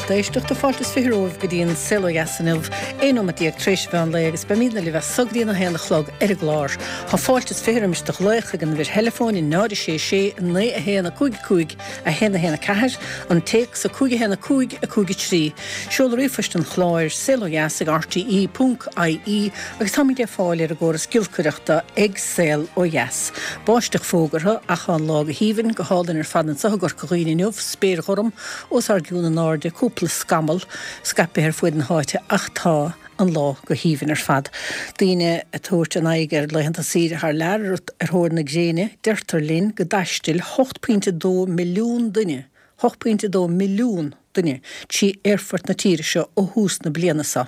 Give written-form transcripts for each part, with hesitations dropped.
lucht éisteachta. Fáilte is 20 romhaibh go dtí an Saol Ó Dheas inniu, 11 nóimeat tar éis an mheán lae agus beimidne libh as so go dtí an 1 a chlog ar an gclár. Tá fáilte is 20 roimis do ghlaoch chuig an uimhir theileafóin 0 6 6 9 1 5 5 1 1 4, an téacs 5 1 5 5 3. Seoladh ríomhphoist an chláir, saolodheas ag rte ponc ie agus táimid ar fáil ar an gcóras giolcaireachta ag Saol Ó Dheas. Báisteach fógartha ach tá an lá go haoibhinn, go hálainn ar fad anseo i gCorca Dhuibhne inniu, spéir ghorm os ár gcionn in airde, cúpla scamall scaipthe ar fuaid na háite ach tá an lá go haoibhinn ar fad. Daoine ag tabhairt a n-aghaidh ar laethanta saoire thar lear ar thóir na gréine, deirtear linn go dtaistil 8.2 milliún duine 8.2 milliún duine trí aerfoirt na tíre seo ó thús na bliana seo.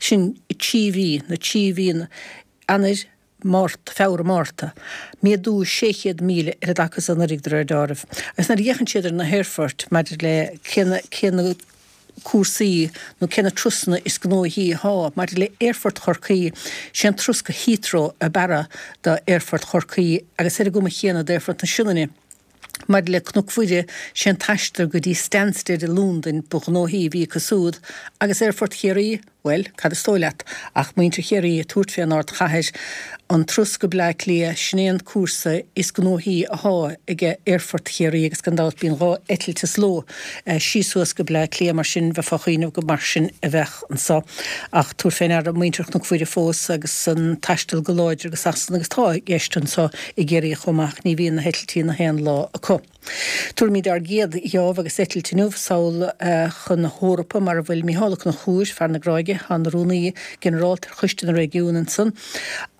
Sin trí mhí, na trí mhí, Eanáir, Márta, Feabhra, Márta. Méadú 600,000 ar an dtaca is anuraidh de réir deáraimh. Agus nuair a fhéachann siad ar na haerfoirt maidir le cé na, cé na cúrsaí nó cé na turasanna is gnóthaí atá maidir le Aerfort Chorcaí, sé an turas go Heathrow ab fhearra d'Aerfort Chorcaí agus ar an gcuma chéanna d'Aerfort na Sionainne. Maidir le Cnoc Mhuire, sé an t-aistear go dtí Stansted i Londain ba ghnóthaí a bhí acu súd, agus Aerfort Chiarraí, bhuel, cad is dóigh leat, ach muintir Chiarraí ag tabhairt fén ardchathair, an turas go Bleá Cliath, sin é an cúrsa is gnóthaí athá ag Aerfort Chiarraí agus gan dabht bíonn 2 eitilt sa ló síos suas go Bleá Cliath, mar sin bheifeá ag cuimhneamh go mar sin a bheadh anso. Ach tabhair fé ndeara muintir Chnoc Mhuire fós agus an taisteal go láidir go Sasana agus tá i gceist anso i gCiarraí chomh maith ach ní bhíonn na heitiltí na haon lá acu. Tabharfaimid ár gcéad gheábh agus eitilt inniu sall chun na hEorpa mar a bhfuil Mícheál Ó Conchúir, fear na Gráige, atá ina Rúnaí Ginearálta ar Choiste na Réigiún ansan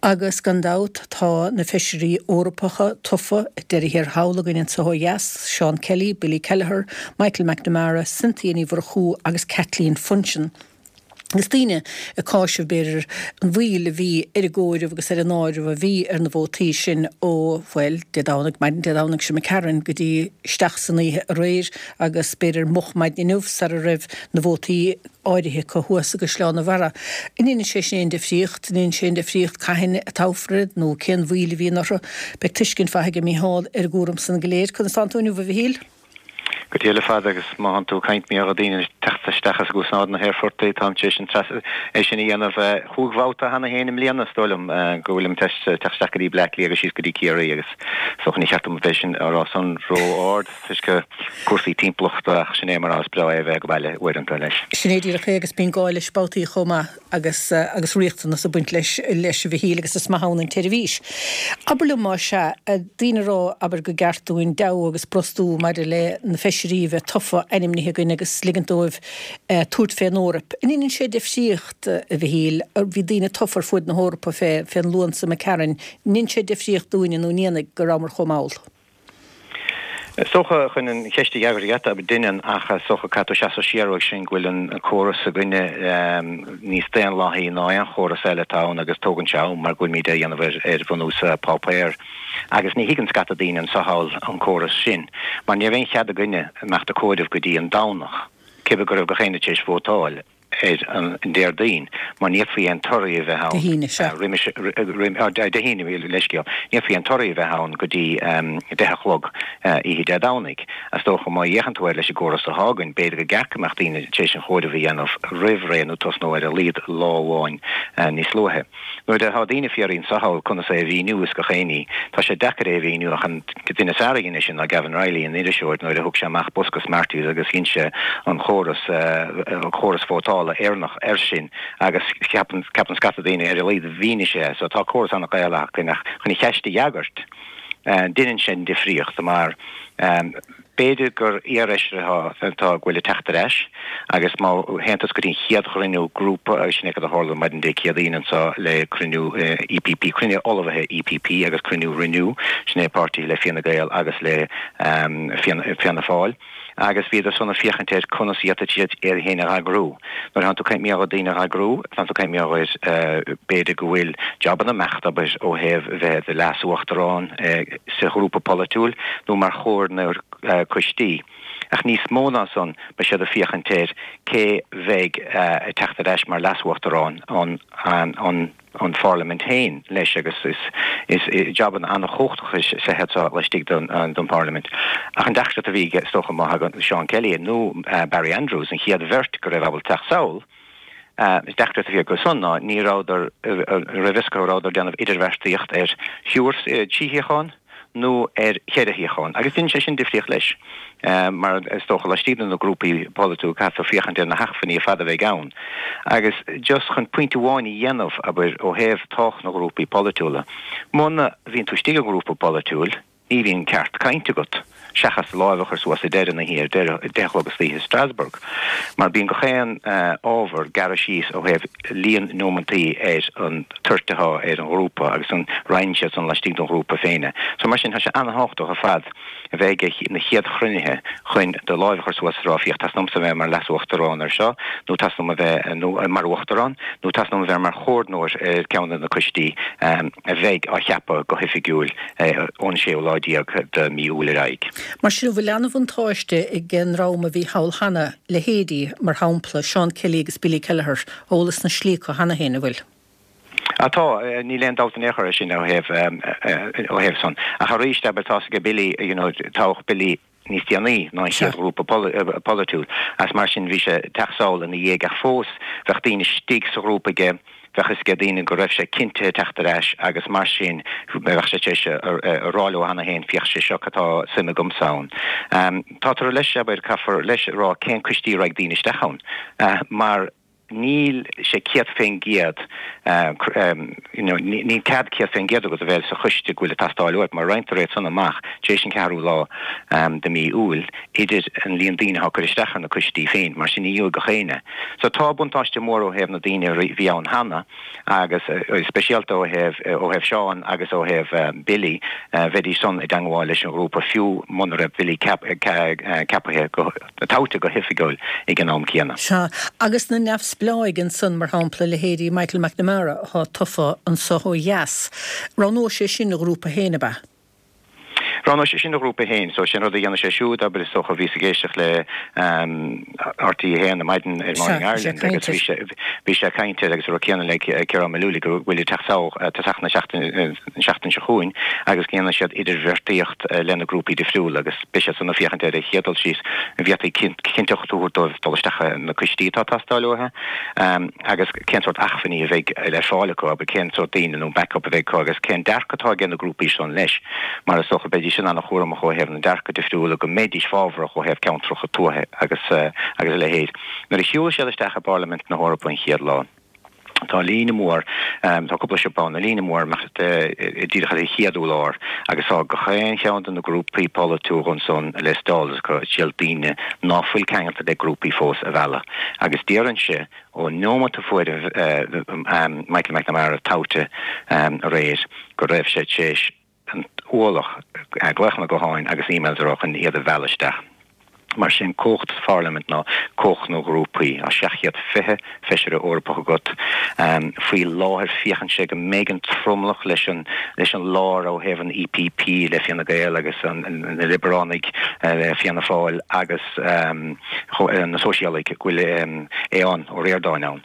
agus gan dabht tá na Feisirí Eorpacha tofa ag deireadh thiar thall againn anso ó dheas, Seán Kelly, Billy Kelleher, Michael McNamara, Cynthia Ní Mhurchú agus Kathleen Funchion. Agus daoine ag cáiseamh, b'fhéidir, an mhoill a bhí ar an gcomhaireamh agus ar an áireamh a bhí ar na vótaí sin ó, bhuel, Dé Domhnaigh, maidin Dé Domhnaigh seo imigh tharainn go dtí isteach san oíche aréir agus b'fhéidir moch maidin inniu sara raibh na vótaí áirithe acu thuas i gCaisleán an Bharraigh. An ndéanann sé sin aon difríocht? An ndéanann sé aon difríocht cathain a toghfar iad nó cén mhoill a bhíonn orthu? Beidh tuiscint mhaith aige Mícheál ar an gcúram san go léir. Conas tánn tú inniu, a Mhichíl? Go diail ar fad agus má thánn tú ag caint mar gheall ar daoine ag teacht isteach is ag úsáid na haerphortaí, táim tar éis an treas, é sin a dhéanamh chúig bhabhta cheana féin i mbliana is dóigh liom go bhfuilim tar éis teacht isteach go dtí Bleá Cliath agus síos go dtí Ciarraí agus is dócha ní cheart dom a bheith sin á rá san ró-ard toisc cúrsaí timpeallachta ach sin é mar is breá é a bheith ag baile uaireanta leis. Sin é díreach é agus bíonn gá leis babhtaí chomh maith. agus agus riachtanas ag baint leis leis a Mhichíl agus is maith ann an tseirbhís. Abair liom más ea, daoine ag rá abair gur gceart dúinn deabhadh agus brostú maidir le na feisirí a bheith tofa ainmnithe againn agus ligint dóibh tabhairt fén Eoraip. An ndéanann sé difríocht a Mhichíl, bhí daoine tofa ar fuaid na hEorpa fé fén Luan seo imigh tharainn, an ndéanann sé difríocht dúinne nó an ndéanfaidh go rabhamar chomh mall? Is dócha, chun an cheist a fhreagairt agat, deineann, ach is dócha caithfidh tú seasamh siar uaidh sin go bhfuil an córas s'againne níos daonlathaí ná aon chóras eile atá ann agus tógann sé am mar go bhfuilimid á dhéanamh ar bhunús páipéir. Agus ní thuigeann scata daoine anso thall an córas sin mar ní raibh aon chead againne imeacht ag comhaireamh go dtí an Domhnach, cibé go raibh gach éinne tar éis vótáil. ar an Déardaoin, mar ní fhéadfaí aon torthaí a bheith ann Dé hAoine, sea. roimis, Dé hAoine, leithscéal, ní fhéadfaí aon torthaí a bheith ann go dtí 10 a chlog oíche Dé Domhnaigh. Is dócha, má fhéachann tú air leis an gcóras atá againn, b'fhéidir gur gceart go mbeadh daoine tar éis an chomhaireamh a dhéanamh roimh ré nó tosnú ar a laghad lá amháin níos luaithe. Nuair atá daoine ag fiafraí anso thall conas é a mhíniú is gach aon ní, tá sé deacair é a mhíniú ach an duine is fearr a dhein é sin ná Gavin Reilly, an iriseoir, nuair a thug sé amach bosca Smarties agus dhein sé an chóras, córas vótála Éireannach air sin agus ceapann, ceapann scata daoine ar a laghad mhínigh sé é. So tá córas an-Ghaelach againn ach chun an cheist a fhreagairt, deineann sé an difríocht mar, B'fhéidir gur iarfheisire atá ag goil ag teacht ar ais agus má théann tusa go dtí an chéad chruinniú grúpa, agus sin é cad a tharla maidin Dé Céadaoin anseo le cruinniú EPP, cruinniú ullmhaithe EPP agus cruinniú Renew, sin é páirtí le Fianna Gael agus le Fianna Fáil, agus bhíodar san ag féachaint ar conas a d'fhéadfadh siad iad féin a dh'eagrú. Nuair atánn tú ag caint mar gheall ar daoine a dh'eagrú, tánn tú ag caint mar gheall ar b'fhéidir go bhfuil jabanna imeacht, abair, ó thaobh bheith i do leas-uachtarán, sa ghrúpa polaitiúil nó mar chomhairleoir coistí. Ach níos mó ná san, beidh siad ag féachaint ar cé bheidh ag teacht ar ais mar leas-uachtarán an an. an Pharlaimint féin leis agus is jabanna an-chumhachtacha is ea iad seo laistigh den Pharlaimint. Ach an deacracht a bhí aige is dócha má thagann Seán Kelly nó Barry Andrews, an chéad bheirt go raibh ábalta teacht sall, an deacracht a bhí acu san ná ní rabhadar, raibh fhios acu an rabhadar ag déanamh idirbheartaíocht ar thriúr, trí shuíochán nó ar cheithre shuíochán. Agus dhein sé sin difríocht leis, mar is dócha laistigh de na grúpaí polaitiúla caithfear féachaint ar na hacmhainní ar fad a bheidh ann. Agus just chun pointe amháin a dhéanamh, abair, ó thaobh tábhacht na ngrúpaí polaitiúla, muna bhíonn tú istigh i ngrúpa polaitiúil, ní bhíonn ceart cainte agat, seachas do láimh a chur suas ag deireadh na hoíche, ar deireadh, 10 a chlog istoíche i Strasbourg. Mar bíonn gach aon ábhar gearrtha síos ó thaobh líon neomantaí ar an toirt atá ar an ghrúpa agus an roinneann siad san laistigh den ghrúpa féin. So mar sin tá sé an-thábhachtach ar fad a bheith ag na chéad chruinnithe chun do láimh a chur suas is a rá féach teastaíonn uaimse a bheith mar leas-uachtarán ar seo nó teastaíonn uaim a bheith nó mar uachtarán nó teastaíonn uaim a bheith mar chomhordnóir ar ceann de na coistí a bheidh á cheapadh go hoifigiúil ón séú lá déag de mí Iúil ar aghaidh. Mar sin, an bhfuil an-bhuntáiste ag an ndream a bhí thall cheana, leithéidí, mar shampla, Seán Kelly agus Billy Kelleher, eolas na slí acu cheana féin, an bhfuil? Á tá, níl aon dabht in aon chor air sin ó thaobh, ó thaobh san. Ach arís, abair, tá's aige Billy, you know, toghadh Billy níos déanaí ná an chéad ghrúpa polaitiúil agus mar sin bhí sé ag teacht sall ina dhiaidh ach fós bheadh daoine istigh sa ghrúpa aige, bheadh fhios aige daoine go raibh sé cinntithe teacht ar ais agus mar sin bheadh sé tar éis a rá leo cheana féin féach sé seo cad tá suim agamsa ann. Tátar leis, abair, caithfear leis a rá cén coistí a raghaidh daoine isteach ann mar níl sé 100% you know níl cead 100% agat a bheith sa choiste go bhfuil ag teastáil uait mar roinntear iad san amach tar éis an ceathrú lá de mí Iúil idir an líon daoine atá ag cur isteach ar na coistí féin mar sin ní gheobhaidh gach éinne. So tá buntáiste mór ó thaobh na daoine a bhí ann cheana agus speisialta ó thaobh ó thaobh Seán agus ó thaobh Billy bheidís san i dteangmháil leis an ghrúpa fiú muna raibh Billy ceapaithe go toghta go hoifigiúil ag an am céanna. Sea, agus na neamhspleáigh ansan, mar shampla, leithéidí Michael McNamara atá tofa anso ó dheas, roghnóidh sé sin a ghrúpa féin, ab ea? Roghnóidh sé sin a ghrúpa féin. So, sé an rud a dhéanfaidh sé siúd, abair, is dócha, bhíos ag éisteacht le RTÉ 1 ar maidin ar Morning Ireland agus bhí sé, bhí sé ag caint air agus an rud céanna le Ciarán Mullooly go bhfuil ag teacht sall tosach na seachtaine, an seachtain seo chugainn agus go ndéanfaidh siad idirbheartaíocht lena grúpaí difriúla agus beidh siad san ag féachaint ar an chéad dul síos, an bhféadfaí cinnteacht a thabhairt dóibh dul isteach na coistí atá ag teastáil uathu agus cén sórt acmhainní a bheidh ar fáil acu, abair, cén sórt daoine nó backup a bheidh acu agus cén dearcadh atá aige na grúpaí san leis mar is dócha beidís sin an-chúramach ó thaobh na dearcadh difriúla go mbeidís fábharach ó thaobh ceantracha tuaithe agus agus a leithéid. Nuair a shiúil siad isteach i bParlaimint na hEorpa an chéad lá, Tá líne mhór, tá cúpla siopa ann, líne mhór amach díreach ar an chéad urlár agus tá gach aon cheann de na grúpaí polaitiúla ansan le stalls acu ag triail daoine ná fuil ceangailte le grúpaí fós a mhealladh. Agus déarfainnse ón neomat a fuair Michael McNamara toghta aréir go raibh sé tar éis an t-ualach glaochanna gutháin agus emails a raibh chun iad a mhealladh isteach. Mar sin, cumhacht sa pharlaimint ná cumhacht na ngrúpaí. Tá 720 feisire Eorpach agat faoi láthair. Féachann sé go mbeidh an tromlach leis an leis an lár ó thaobh an EPP le Fianna Gael agus na Liobaránaigh le Fianna Fáil agus na Sóisialaigh go bhfuil Aodhán Ó Ríordáin ann.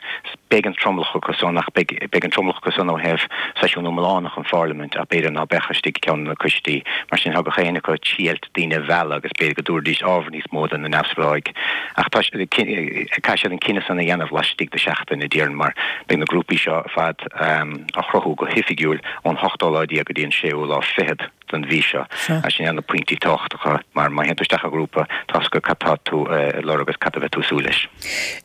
Beidh an tromlach acu san ach beidh beidh an tromlach acu san ó thaobh seisiún iomlánach an pharlaimint ach b'fhéidir ná beadh istigh i gceann de na coistí. Mar sin tá gach éinne acu ag triailt daoine a mhealladh agus b'fhéidir go dtabharfaidís ábhar níos mó do na neamhspleáigh ach tá caithfidh siad an cinneadh san a dhéanamh laistigh de sheachtain a déarfainn mar beidh na grúpaí seo ar fad á chruthú go hoifigiúil ón ochtó lá déag go dtí an séú lá fichead den mhí seo. Agus sin iad na pointí tábhachtacha mar má théann tú isteach i ngrúpa tá 's agat cad tá tú ag lorg agus cad a bheidh tú ag súil leis.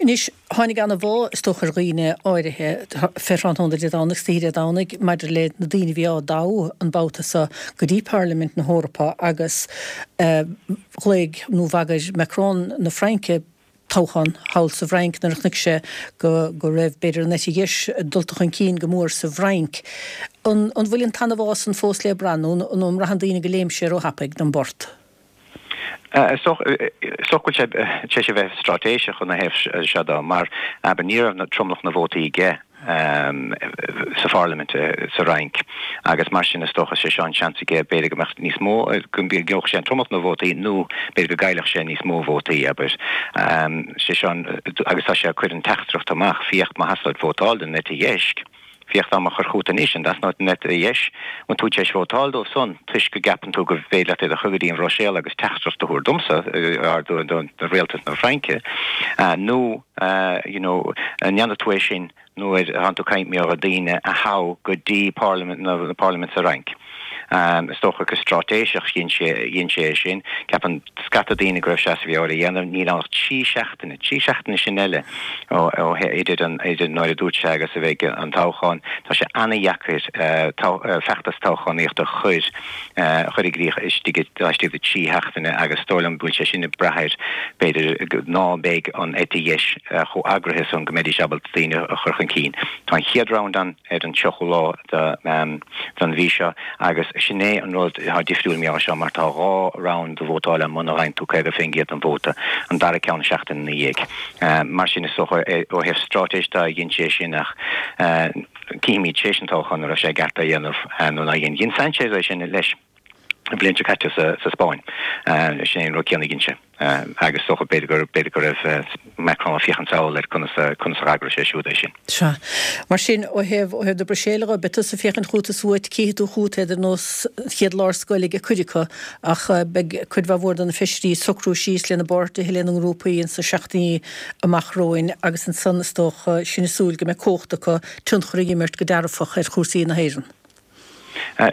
Anois, Tháinig ana-bhá, is dócha, ar dhaoine áirithe fé thráthnóna Dé Domhnaigh, istoíche Dé Domhnaigh, maidir le na daoine a bhí á dtoghadh an babhta seo go dtí Parlaimint na hEorpa agus ghlaoigh nó bhagair Macron na Fraince toghchán thall sa bhFrainc nuair a chonaic sé go go raibh, b'fhéidir, an eite dheis dulta chun cinn go mór sa bhFrainc. An bhfuil an t-ana-bhá san fós le brath nó an mbraitheann daoine go léim sé róthapaidh don bport? Is dócha go bhfuil sé tar éis a bheith straitéiseach ina thaobh seo de mar, abair, ní raibh tromlach na vótaí aige sa pharlaimint sa Fhrainc agus mar sin is dócha sé seo an seans aige b'fhéidir go mbeadh níos mó, go ngeobhadh sé an tromlach na vótaí nó b'fhéidir go gcaillfeadh sé níos mó vótaí, abair. Sé seo an, agus tá sé ag cur an teachtaireacht amach, féach má theastaíonn uait vótáil don eite dheis. Féach dá mba chur chugat anois, an dtrasna an eite dheis, bhfuil tú tar éis vótáil dóibh san toisc go gceapann tú go bhféidir leat iad a chur go dtí an Bhruiséil agus teachtaireacht a thabhairt domsa, do rialtas na Fraince, nó you know, an ndéanfaidh tú é sin nuair a thánn tú ag caint mar gheall ar daoine a thoghadh go dtí parlaimint na parlaimint sa Fhrainc. Is dócha go straitéiseach dhein sé dhein sé é sin. Ceapann scata daoine go raibh sé as a mheabhair a dhéanamh. Níl ann ach 3 seachtaine, 3 seachtaine sin eile ó ó idir an idir nuair a dúirt sé agus a bheidh an toghchán. Tá sé ana-dheacair feachtas toghchánaíochta a chur chur i gcrích istigh laistigh de 3 sheachtaine agus is dóigh liom go bhfuil sé sin ag brath ar, b'fhéidir, ná beidh an eite dheis chomh eagraithe san go mbeidís ábalta daoine a chur chun cinn. Tá an chéad round ann ar an 30ú lá den mhí seo agus sin é an rud atá difriúil mar seo mar tá dhá round de vótáil ann muna bhfaigheann tú 50% den vóta, an dara ceann seachtain ina dhiaidh. Mar sin is dócha ó thaobh straitéis de dhein sé sin ach, Cífimid tar éis an toghcháin an raibh sé i gceart é a dhéanamh nó nár dhein. Dhein Sanchez é sin leis an bhliain seo caite sa Spáinn. Sin é an rud céanna a dhein sé. Agus is dócha b'fhéidir go b'fhéidir go raibh Macron ag féachaint sall ar conas conas a d'eagraigh sé siúd é sin. Sea. Mar sin, ó thaobh ó thaobh na Bruiséile dhe, beidh tusa ag féachaint chugat is uait, cífidh tú chugat iad ar nós an chéad lá ar scoil ag cuid acu, ach beidh cuid mhaith mhór de na feisirí ag socrú síos lena bpáirtithe, lena ngrúpaí ins na seachtainí amach romhainn agus ansan is dócha sinn ag súil go mbeidh cumhacht acu tionchar a imirt go dearfach ar chúrsaí na hÉireann.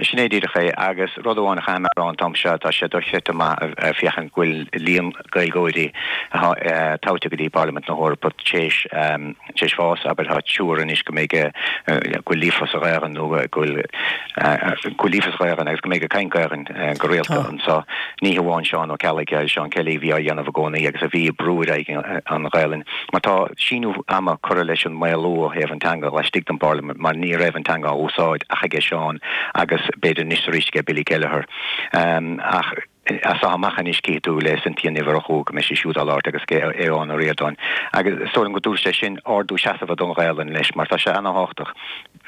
Sin é díreach é agus rud amháin a chaithfidh mé a rá an t-am seo, tá sé dochreidte maith féachaint go bhfuil líon Gaeilgeoirí atá toghta go dtí Parlaimint na hEorpa tar éis fás, abair tá triúr anois go mbeidh go bhfuil líofa sa Ghaelainn nó go bhfuil go bhfuil líofa sa Ghaelainn agus go mbeidh ag caint Gaelainn go rialta anseo. Ní hamháin Seán Ó Ceallaigh agus Seán Kelly a bhí á dhéanamh i gcónaí agus a bhí ag brú ar aghaidh an Ghaelainn mar tá síneadh ama curtha leis an maolú ó thaobh an teanga laistigh den bParlaimint mar ní raibh an teanga á úsáid ach aige Seán agus b'fhéidir anois arís aige Billy Kelleher. Ach as seo amach anois cífidh tú le Cynthia Ní Mhurchú go mbeidh sí siúd á labhairt agus ag Aodhán Ó Ríordáin agus is dóigh liom go dtabharfaidh sé sin ardú seasamha don Ghaelainn leis mar tá sé ana-thábhachtach.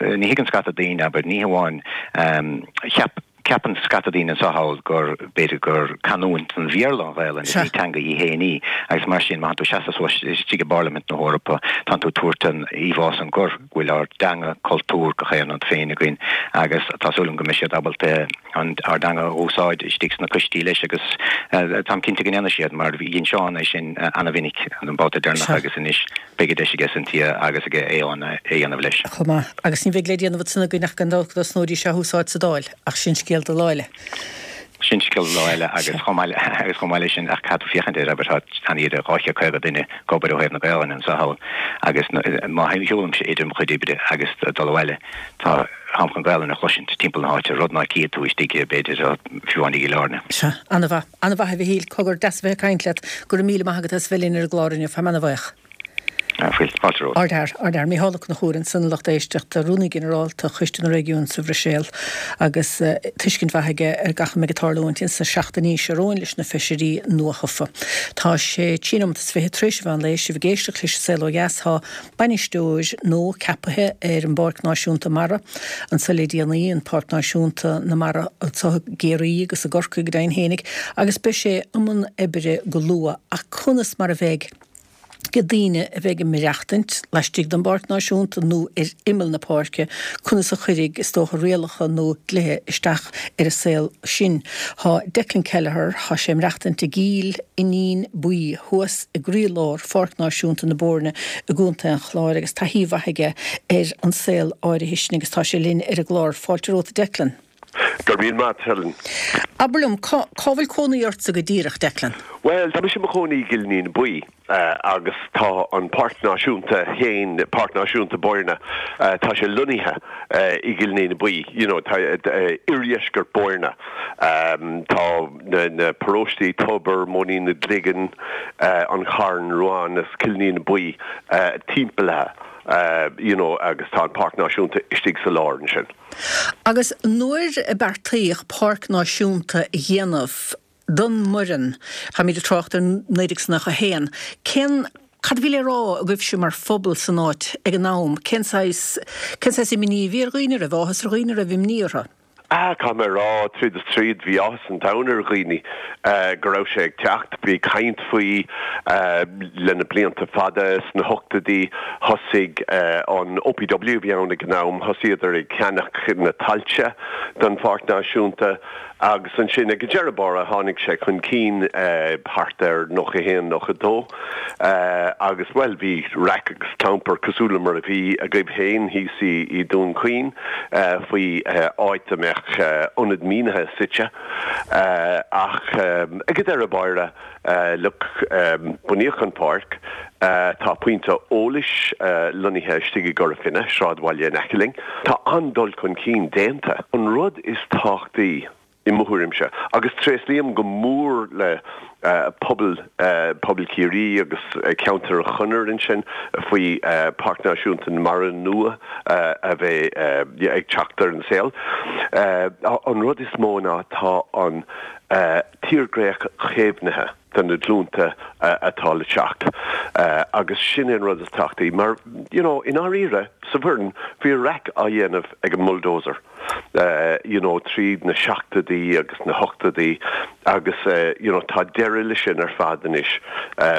Ní thuigeann scata daoine, abair, ní hamháin cheap Ceapann scata daoine anseo thall gur, b'fhéidir gur canúint den Bhéarla an Ghaelainn, is ní teanga í fhéin í, agus mar sin má thánn tú ag seasamh suas istigh i bParlaimint na hEorpa, tánn tú ag tabhairt an íomhá san gur, go bhfuil ár dteanga, cultúr, gach aon rud féin againn agus tá súil agam go mbeidh siad ábalta an, ár dteanga a úsáid istigh sna coistí leis agus táim cinnte go ndéanfaidh siad mar dhein Seán é sin ana-mhinic an babhta deireanach agus anois. Beidh an deis aige Cynthia agus aige Aodhán é a dhéanamh leis. Chomh maith. Agus ní bheidh le déanamh ansan againn ach gan dabht go dtosnóidís á húsáid sa Dáil. Ach sin scéal do lá eile. Sin scéal do lá eile agus chomh maith agus chomh maith leis sin ach caithfidh tú féachaint air abair tá idir 250 duine ag obair ó thaobh na Gaelainne anseo thall agus má shiúlaimse idir mo chuid oibre agus dul abhaile tá táim chun Gaelainn a chloisint timpeall na háite, rud ná cífidh tú istigh b'fhéidir fiú amháin i gCill Airne. Sea. Ana-mhaith. Ana-mhaith a Mhichíl. Cogar, deas a bheith ag caint leat. Go raibh míle maith agat as a bheith linn ar an gclár inniu. Táim ana-bhuíoch. Fáilte romhat. Ardfhear, ardfhear. Micheál Ó Conchúir ansan, a lucht éisteachta, Rúnaí Ginearálta Choiste na Réigiún sa Bhruiséil agus tuiscint mhaith aige ar gach a mbeidh ag tarlúint ins na seachtainí seo romhainn leis na feisirí nuathofa. Tá sé trí nóimeat is 20 tar éis an mheán lae, sibh ag éisteacht leis an Saol Ó Dheas. Tá bainisteoir nua ceapaithe ar an bPáirc Náisiúnta Mara anso le déanaí, an Páirc Náisiúnta na Mara anso i gCiarraí agus i gCorcaigh go deimhin fhéinig, agus beidh sé i mbun oibre go luath. Ach conas mar a bheidh ag daoine a bheidh ag maireachtaint laistigh den bPáirc Náisiúnta nó ar imeall na páirce, conas a chuirfidh, is dócha, rialacha nó dlíthe isteach ar an saol sin. Tá Declan Kelleher, tá sé ag maireachtaint i gCill Fhínín Buí thuas i gcroílár Pháirc Náisiúnta na Boirne i gContae an Chláir agus taithí mhaith aige ar an saol áirithe sin agus tá sé linn ar an gclár. Fáilte romhat a Declan. Go raibh míle maith, Helen. Abair liom, cá bhfuil cónaí ortsa go díreach, Declan? Bhuel, tá mise i mo chónaí i gCill Fhínín Buí agus tá an Páirc Náisiúnta féin, Páirc Náisiúnta Boirne, tá sé lonnaithe i gCill Fhínín Buí, you know, tá oirdheisceart Boirne. Tá na paróistí Tobar, Móinín na gCloigeann, An Carn, Ruán is Cill Fhínín Buí timpeallaithe, you know, agus tá an Páirc Náisiúnta istigh sa lár ansin. Agus nuair a beartaíodh Páirc Náisiúnta a dhéanamh don mBoireann, táimid ag trácht ar 1991, cén, cad a bhí le rá agaibhse mar phobal san áit ag an am, cén saghas, cén saghas imní a bhí ar dhaoine, raibh áthas ar dhaoine, raibh imní orthu? Ah, caithfidh mé a rá, tríd is tríd, bhí áthas an domhain ar dhaoine go raibh sé ag teacht. Bhí caint faoi le na blianta fada. Sna hochtóidí, thosaigh an OPW a bhí ann ag an am, thosaíodar ag ceannach na tailte don Pháirc Náisiúnta agus ansin ag an deireadh báire tháinig sé chun cinn thart ar 91, 92 agus, bhuel, bhí raic agus clampar cosúil le mar a bhí agaibh féin thíos i Dún Chaoin faoi áit a mbeadh ionad mianaigh suite ach ag an deireadh báire, Look, bunaíodh an pháirc. Tá pointe eolais lonnaithe istigh i gCora Finne, sráidbhaile in aice linn. Tá an-dul chun cinn déanta. An rud is tábhachtaí, i mo thuairimse, agus tréaslaím go mór le pobal, pobal Chiarraí agus ceantar an Chonair ansin faoi Páirc Náisiúnta na Mara nua a bheidh ag teacht ar an saol. An rud is mó ná tá an. tírdhreach caomhnaithe do na glúnta atá le teacht agus sin é an rud is tábhachtaí mar you know i ndáiríre sa Bhoireann bhí raic á dhéanamh ag an mbulldozer you know tríd na seachtóidí agus na hochtóidí agus you know tá deireadh le sin ar fad anois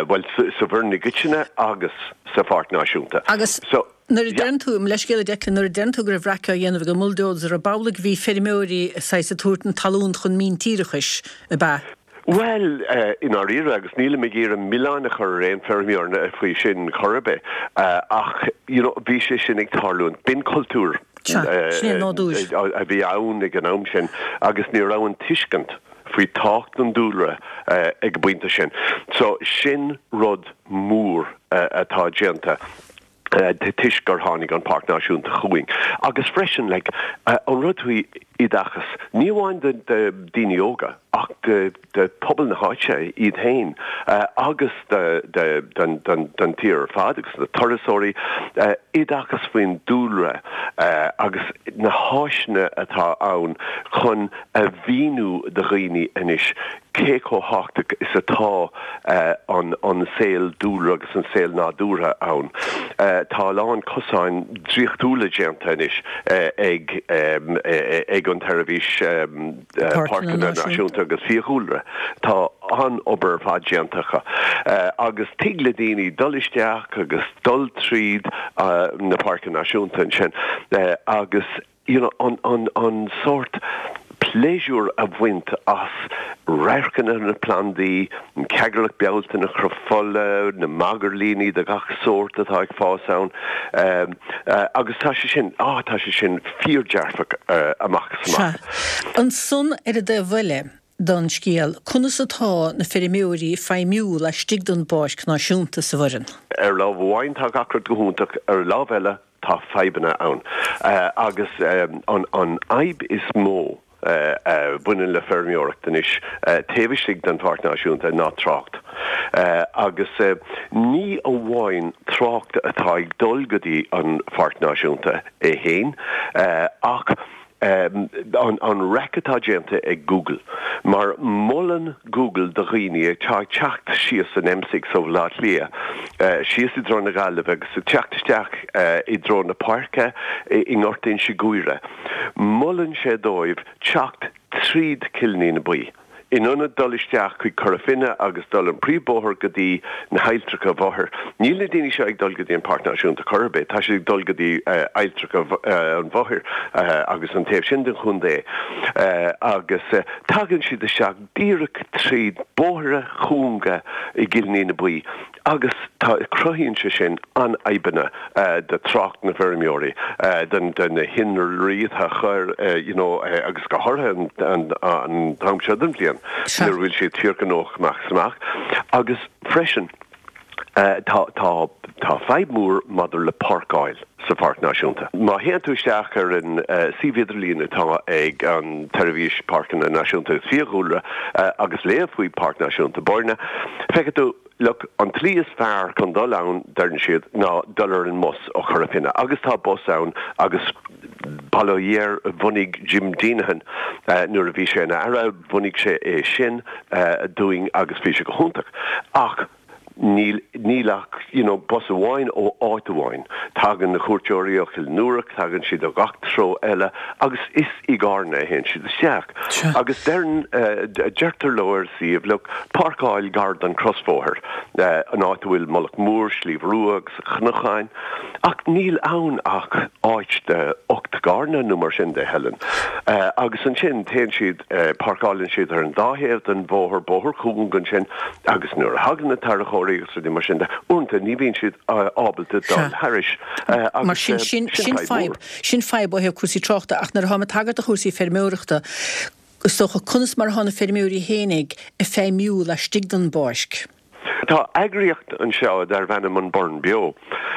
bhuel sa Bhoireann i gcoitinne agus sa Pháirc Náisiúnta. Agus So Nuair a deireann tú, mo leithscéal a Declan, nuair a deireann tú go raibh raic á dhéanamh ag an mbulldozer, ab amhlaidh a bhí feirmeoirí saghas ag tabhairt na talún chun míntíreachais, ab ea? Bhuel, i ndáiríre, agus nílim ag iarraidh milleán a chur ar aon feirmeoir faoi sin chor ar bith, ach you know bhí sé sin ag tarlúint, b'in cultúr Sea, sin é an nádúr. a bhí ann ag an am sin agus ní raibh an tuiscint faoi tábhacht an dúlra ag an bpointe sin. So sin rud mór atá déanta. toisc gur tháinig an Páirc Náisiúnta chugainn. Agus freisin, like, an rud faoi oideachas, ní amháin do daoine óga ach do pobal na háite iad féin agus don tír ar fad agus na turasóirí, oideachas faoin dúlra agus na háiseanna atá ann chun a mhíniú do dhaoine anois cé chomh tábhachtach is atá an saol dúlra agus an saol nádúrtha ann. Tá a lán cosáin draíochtúla déanta anois ag ag an tSeirbhís Páirceanna Náisiúnta agus Fiadhúlra. Tá an-obair ar fad déanta acu agus tig le daoine dul isteach agus dul tríd na Páirceanna Náisiúnta ansin agus you know, an, an, an sórt pléisiúr a bhaint as radharcanna na plandaí, an ceagarlach Bealtaine, an cruth fola, na magairlíní de gach sórt atá ag fás ann, agus tá sé sin, á, tá sé sin fíordhearfach amach is amach. Sea. Ansan ar an dtaobh eile den scéal, conas atá na feirmeoirí ag feidhmiú laistigh den bPáirc Náisiúnta sa Bhoireann? Ar lámh amháin tá gach rud go hiontach, ar lámh eile Tá fadhbanna ann agus an fhadhb is mó a bhaineann le feirmeoireacht anois taobh istigh den Pháirc Náisiúnta ná trácht. Agus ní amháin trácht atá ag dul go dtí an Pháirc Náisiúnta é féin ach an raic atá déanta ag Google, mar molann Google do dhaoine atá ag teacht síos an M6 ó Bhaile Átha Cliath síos i dtreo na Gaillimhe agus ag teacht isteach i dtreo na páirce i nGort Inse Guaire, molann sé dóibh teacht tríd Cill na Buí. In ionad dul isteach chuig Cora Finne agus dul an príomhbhóthar go dtí na hAilltreacha Mhothair, níl na daoine seo ag dul go dtí an Páirc Náisiúnta chor ar bith, tá siad ag dul go dtí Ailltreacha an Mhothair agus an taobh sin den chontae agus tagann siad isteach díreach tríd bóithre cúnga i gCill na Buí. Agus tá, cruthaíonn sé sin an-fhadhbanna do trácht na bhfeirmeoirí, do na hinnealraí atá a chur, you know, agus go háirithe an t-am seo den bhliain nuair a bhfuil siad fíorghnóthach amach is amach. Agus freisin, tá, tá, tá fadhb mhór maidir le páirceáil sa Pháirc Náisiúnta. Má théann tú isteach ar an suíomh idirlín atá ag an tSeirbhís Páirceanna Náisiúnta agus Fiadhúlra agus léamh faoi Páirc Náisiúnta Boirne, feicfidh tú, Look, an tslí is fearr chun dul ann, deireann siad, ná dul ar an mbus ó Chora Finne. Agus tá bus ann agus bail ó Dhia air, bhunaigh Jim Deenihan, nuair a bhí sé ina Aire, bhunaigh sé é sin dúinn agus bhí sé go hiontach. Ach. Níl, níl ach, you know, bus amháin ó áit amháin. Tagann na cuairteoirí ó Chill Nuarach, tagann siad ó gach treo eile agus is i gCarna a théann siad isteach. Agus deireann, deirtear leo ar an suíomh, look, páirceáil gar don crosbhóthar, an áit a bhfuil Mullach Mór, Sliabh Rua agus Cnocáin. Ach níl ann ach áit de 8 gcarranna nó mar sin de, Helen. Agus ansin téann siad, páirceálann siad ar an dá thaobh den bhóthar, bóthar cúng ansin, agus nuair a thagann na tarracóirí agus rudaí mar sin de, uaireanta ní bhíonn siad ábalta dul thairis. Mar sin, sin fadhb mhór. Sin fadhb ó thaobh cúrsaí tráchta ach nuair atáim ag tagairt do chúrsaí feirmeoireachta, is dócha, conas mar atá na feirmeoirí fhéinig ag feidhmiú laistigh den bpáirc? Tá eagraíocht anseo darb ainm An Burren Beo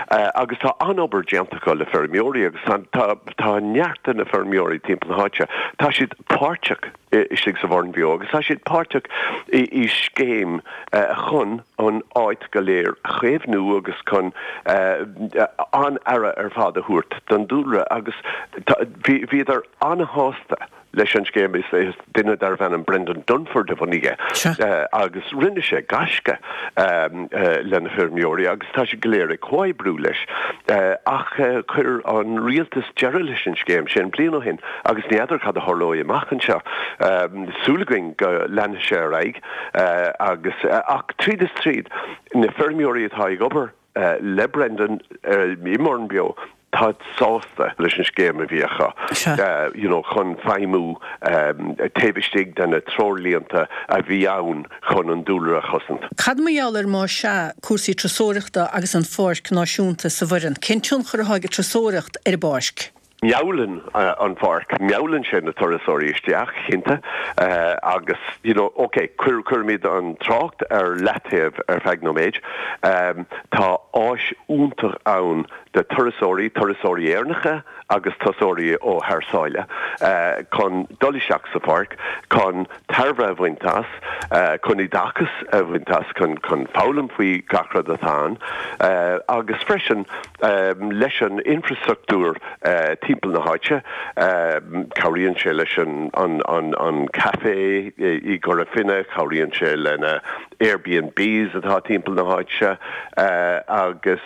agus tá an-obair déanta acu le feirmeoirí agus tá tá neart de na feirmeoirí timpeall na háite, tá siad páirteach istigh sa Bhurren Beo agus tá siad páirteach i scéim chun an áit go léir a chaomhnú agus chun an-aire ar fad a thabhairt don dúlra agus bhíodar an-shásta leis an scéim. Is duine darbh ainm Brendan Dunford a bhunaigh é agus rinne sé gaisce le na feirmeoirí agus tá siad go léir ag comhoibriú leis. Ach chuir an rialtas deireadh leis an scéim sin bliain ó shin agus ní fheadar cad a tharlóidh amach anseo. Súil againn go leanfaidh sé ar aghaidh agus ach tríd is tríd na feirmeoirí atá ag obair le Brendan i mBurren Beo, táid sásta leis an scéim a bhí acu you know chun feidhmiú taobh istigh de na treoirlínte a bhí ann chun an dúlra a chosaint. Cad mar gheall ar más ea cúrsaí turasóireachta agus an Pháirc Náisiúnta sa Bhoireann? Cén tionchar atá ag an turasóireacht ar an bpáirc? Meallann an pháirc, meallann sé na turasóirí isteach, cinnte, agus, you know, ok, cuirimid an trácht ar leataobh ar feadh nóiméid. Tá áis iontach ann do turasóirí, turasóirí Éireannacha agus turasóirí ó thar sáile, chun dul isteach sa pháirc, chun tairbhe a bhaint as, chun oideachas a bhaint as, chun foghlaim faoi gach rud atá ann, agus freisin leis an infreastruchtúr timpeall na háite. Cabhraíonn sé leis an café i gCora Finne, cabhraíonn sé le na Airbnbs atá timpeall na háite agus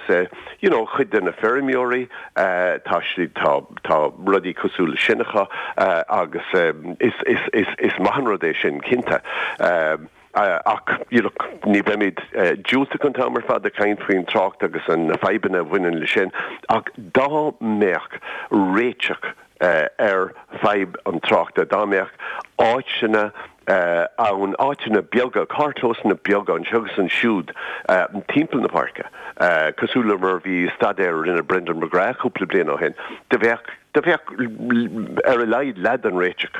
you know cuid de na feirmeoirí tá siad tá tá rudaí cosúil leis sin acu agus is is is is maith an rud é sin cinnte. Ach look, ní bheimid diúltach an t-am ar fad ag caint faoin trácht agus na fadhbanna a bhaineann leis sin, ach dá mbeadh réiteach ar fadhb an tráchta, dá mbeadh áiteanna ann, áiteanna beaga, carrchlósanna beaga anseo agus ansiúd timpeall na páirce, cosúil le mar a bhí i staidéar a rinne Brendan McGrath cúpla bliain ó shin, do bheadh Do bheadh ar a laghad leath den réiteach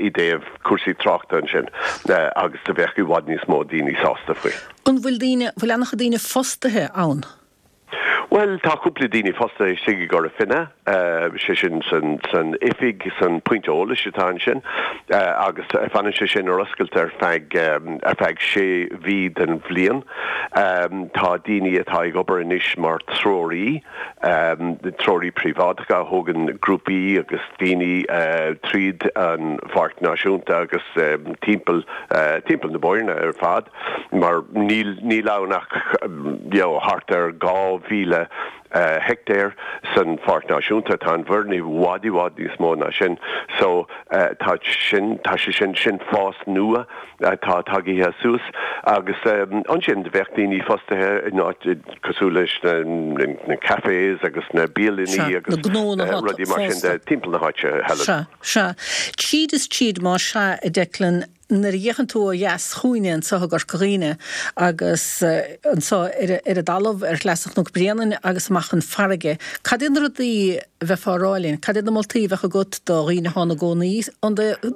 i dtaobh cúrsaí tráchta ansin agus do bheadh i bhfad níos mó daoine sásta faoi. An bhfuil daoine, bhfuil an-chuid daoine fostaithe ann? Bhuel, tá cúpla daoine fostaithe istigh i gCora Finne, sé sin san, san oifig, san pointe eolais atá ansin agus fanann sé sin ar oscailt ar feadh, ar feadh sé mhí den bhliain. Tá daoine atá ag obair anois mar treoraí, treoraí príobháideacha a thógann grúpaí agus daoine tríd an Pháirc Náisiúnta agus timpeall timpeall na Boirne ar fad mar níl níl ann ach you know thart ar 2,000 heictéar san Pháirc Náisiúnta. Tá an Bhoirinn i bhfad i bhfad níos mó ná sin so tá sin tá sé sin sin fás nua atá tagaithe suas agus ansin do bheadh daoine fostaithe in áit cosúil leis na cafés agus na bialanna agus rudaí mar sin de timpeall na háite, Helen. Sea, sea. Tríd is tríd, más ea, a Declan, nuair a fhéachann tú ó dheas chugainne anseo i gCorca Dhuibhne agus anseo ar an dtalamh ar Shleasa Chnoc Bréanainn agus amach chun farraige, cad iad na rudaí a bheifeá a rá linn? Cad iad na moltaí a bheadh agat do dhaoine atá ina gcónaí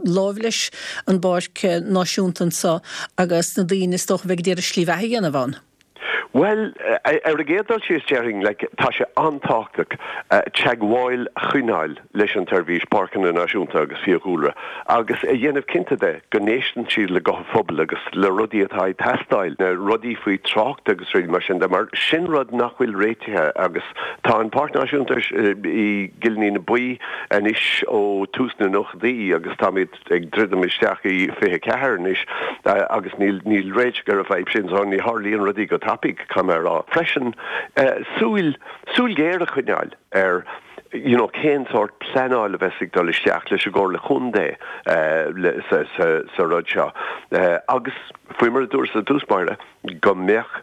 láimh leis an bPáirc Náisiúnta anseo agus na daoine is dócha a bheidh ag iarraidh slí bheatha a dhéanamh ann? Bhuel, ar an gcéad dul síos, déarfainn, like, tá sé an-tábhachtach teagmháil a choinneáil leis an tSeirbhís Páirceanna Náisiúnta agus Fiadhúlra agus a dhéanamh cinnte de go n-éisteann siad le guth an phobail agus le rudaí atá ag teastáil, na rudaí faoi trácht agus rudaí mar sin de, mar sin rud nach bhfuil réitithe agus tá an Páirc Náisiúnta i gCill na Buí anois ó tús na nóchaidí agus táimid ag druidim isteach i 24 anois agus níl níl réiteach ar an bhfadhb sin so ní tharlaíonn rudaí go tapaidh, caithfidh mé a rá. Freisin, súil, súil ghéar a choinneáil ar you know cén sórt pleanáil a bheas ag dul isteach leis an gComhairle Chontae le sa sa sa rud seo agus faoi mar a dúras i dtús báire go mbeadh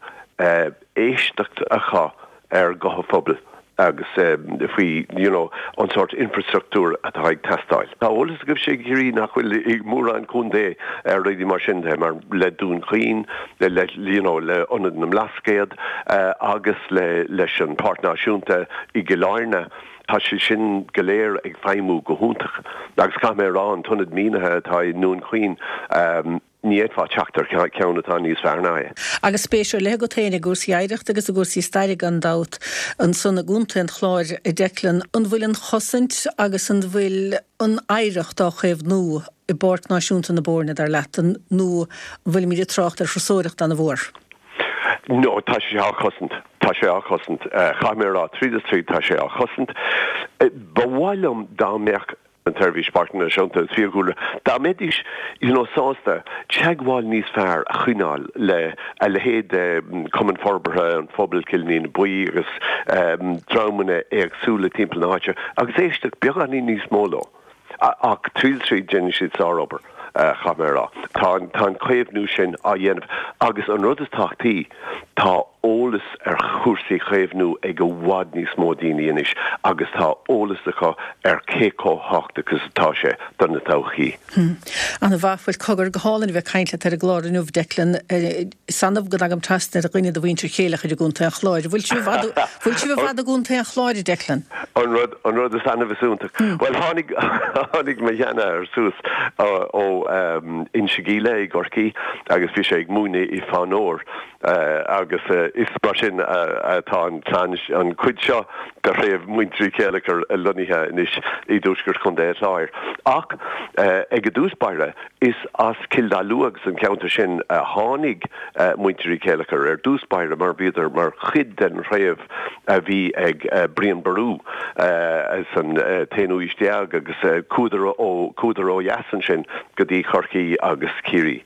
éisteacht acu ar ghuth an phobail agus faoi you know an sórt infreastruchtúr atá ag teastáil. Tá eolas agaibhse i gCiarraí nach bhfuil i mórán contae ar rudaí mar sin de, mar le Dún Chaoin, le you know le Ionad na mBlascaod agus le leis an Pháirc Náisiúnta i gCill Airne, tá sé sin go léir ag feidhmiú go hiontach. Agus caithfidh mé a rá an t-ionad mionnaithe atá i nDún Chaoin, Ní fhéadfá teacht ar cheann atá níos fearr ná é. Agus spéis ar leith agat féin i gcúrsaí oidhreachta agus i gcúrsaí staire gan dabht ansan i gContae an Chláir, a Declan. An bhfuil an chosaint agus an bhfuil an oidhreacht á chaomhnú i bPáirc Náisiúnta na Boirne, dar leat, nó an bhfuilimid ag trácht ar thurasóireacht an-mhór? No, tá sé á chosaint. Tá sé á chosaint. Caithfidh mé a rá, tríd is tríd, tá sé á chosaint. Ba mhaith liom dá mbeadh. an tSeirbhís Páirceanna Náisiúnta agus Fiadhúlra, dá mbeidís you know sásta teagmháil níos fearr a choinneáil le a leithéid de Cumann Forbartha an Phobail Cill na Buí agus dreamanna éagsúla timpeall na háite agus éisteacht beagáinín níos mó leo. Ach tríd is tríd déanann siad sárobair, caithfidh mé a rá. Tá an tá an caomhnú sin á dhéanamh agus an rud is tábhachtaí, tá eolas ar chúrsaí chaomhnú ag i bhfad níos mó daoine anois agus tá eolas acu ar cé chomh tábhachtach is atá sé do na todhchaí. Ana mhaith. Bhuel, cogar, go hálainn a bheith ag caint leat ar an gclár inniu, Declan. Is annamh go dtagaim trasna ar dhuine de mhuintir Chéileachair i gContae an Chláir. Bhfuil sibh i bhfad, bhfuil sibh i bhfad i gContae an Chláir, a Declan? An rud, an rud is annamh is iontach. Bhuel, tháinig, tháinig mo sheanathair suas ó Inse Gile i gCorcaigh agus bhí sé ag múineadh i Fánóir. Agus is mar sin atá an chlann, an chuid seo de threibh muintir Uí Chéileachair lonnaithe anois i dtuaisceart Chontae an Chláir. Ach ag dtús báire, is as Cill Dá Lua agus an ceantar sin a tháinig muintir Uí Chéileachair ar dtús báire mar bhíodar mar chuid den threibh a bhí ag Brian Boru san t-aonú aois déag agus chuadar ó, chuadar ó dheas ansin go dtí Corcaigh agus Ciarraí.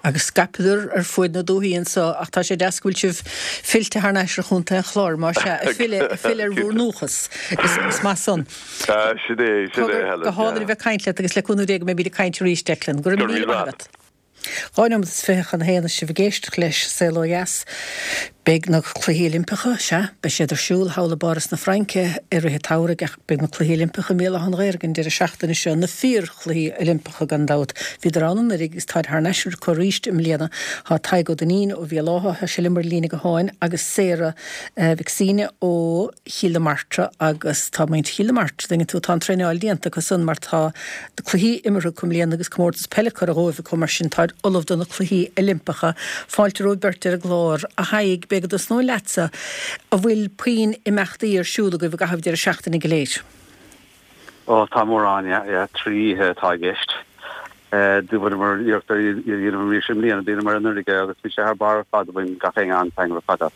Agus scaipeadar ar fuaid na dúthaí anso, ach tá sé deas go bhfuil sibh fillte thar n-ais ar Chontae an Chláir, más ea, ag filleadh, ag filleadh ar bhur ndúchas. Is, is maith san. Sin é, sin é, Helen, Go hálainn a bheith ag caint leat agus le cúnamh Dé go mbeimid ag caint arís, Declan. Go raibh míle maith agat. 2 nóiméad is 20 chun a haon is sibh ag éisteacht leis Saol Ó Dheas. Beidh na Cluichí Oilimpeacha, sea, beidh siad ar siúl thall i bPáras na Fraince i rith an tsamhraidh ach beidh na Cluichí Oilimpeacha i mBéal Átha an Ghaorthaidh an deireadh seachtaine seo, na fíor-Chluichí Oilimpeacha gan dabht. Bhíodar ann anuraidh agus táid thar n-ais acu arís i mbliana. Tá Tadhg Ó Duinnín ó Bhéal Átha, tá sé liom ar líne gutháin, agus Sarah Mhic Suibhne ó Chill na Martra agus tá muintir Chill na Martra, tuigeann tú, tá an traenáil déanta acu san mar tá cluichí imeartha acu i mbliana agus comórtas peile curtha dhóibh acu mar sin táid ullamh do na Cluichí Oilimpeacha. Fáilte romhaibh beirt ar an gclár. A Thaidhg, b'fhéidir go dtosnóinn leatsa, an bhfuil puinn imeachtaí ar siúl agaibh i gcaitheamh deireadh seachtaine go léir? Ó, tá mórán, yeah, yeah, 3 oíche atá i gceist. Do bhaineamar iarracht ar iad a dhéanamh arís i mbliana, dheineamar anuraidh é agus bhí sé thar barr ar fad, bhain gach éinne an-taitneamh ar fad as.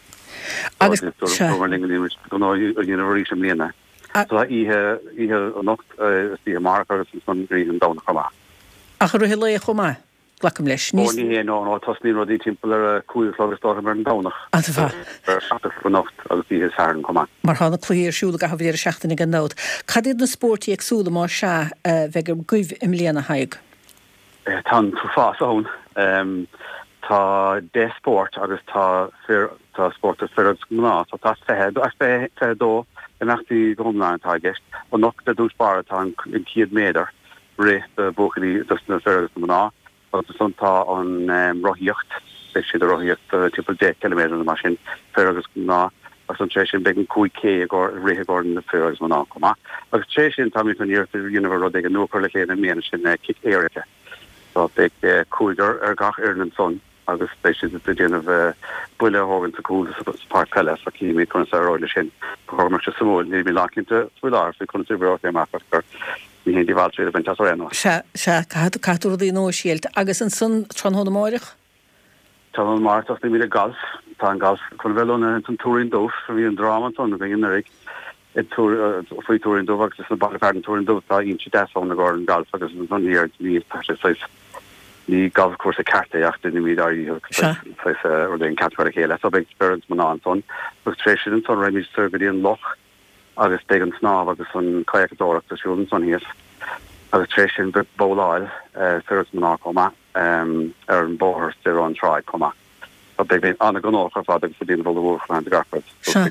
Agus, sea. Dúramar linn go ndéanfaimid gnó a dhéanamh arís i mbliana. So tá oíche, oíche anocht, is oíche amárach agus ansan oíche an Domhnach chomh maith. Ach i rith an lae chomh maith, glacaim leis. Ó, ní hé, no, no, tosnaíonn rudaí timpeall ar a 5 a chlog is dócha ar an Domhnach. An-mhaith. Ar a 7 a chlog anocht agus oíche Sathairn chomh maith. Mar tá na cluichí ar siúl i gcaitheamh an deireadh seachtaine gan dabht. Cad iad na spóirt éagsúla, más ea, a bheidh agaibh i mbliana, a Thaidhg? Tá an t-uafás ann. Tá 10 spórt agus tá fir, tá spórt do fir agus mná, so tá 20, 22 imeachtaí go hiomlán atá i gceist. Anocht ar dtús báire tá an 100 méadar rith do bhuachaillí, dos na fir agus na mná agus ansan tá an rothaíocht, beidh siad ag rothaíocht timpeall 10 ciliméadar nó mar sin, fir agus mná. Agus ansan tar éis sin beidh an 5K i gcomhair, rith i gcomhair na fir agus mná chomh maith. Agus tar éis sin táimid chun iarracht a dhéanamh ar rud éigin nua a chur le chéile i mbliana, sin cic éirice. So beidh cúigear ar gach fhoireann ansan. agus beidh siad ag déanamh buille a thógaint sa cúl sa pháirc peile so cífimid conas a éireoidh leis sin. Ba chóir go mbeadh sé suimiúil, nílimid lánchinnte faoi láthair faoi conas a oibreoidh sé amach ach gur ní haon díobháil triail a bhaint as ar aon nós. Sea, sea, caithfidh tú rudaí nua a thriailt. Agus ansan tráthnóna amáireach? Tráthnóna amáireach tosnaímid ag galf. Tá an galf chun a bheith lonnaithe ins an Tuairín Dubh. Bhí an dráma ansan againn anuraidh faoi Tuairín Dubh agus is sa baile fearainn Tuairín Dubh tá inse deas ann i gcomhair an galf agus ansan thiar ní tá sé saghas ní galfchúrsa ceart é ach déanaimid ár ndícheall saghas rud éigin ceart a chur le chéile. So beidh fir agus mná ansan agus tar éis sin ansan raghaimid soir go dtí an loch agus beidh an snámh agus an chadhacadóireacht ar siúl ansan thíos agus tar éis sin beidh babhláil fir agus mná chomh maith ar an bhóthar soir ón tráigh chomh maith. So beidh mé an-ghnóthach ar fad agus ag déanamh ullmhúcháin do gach rud. Sea.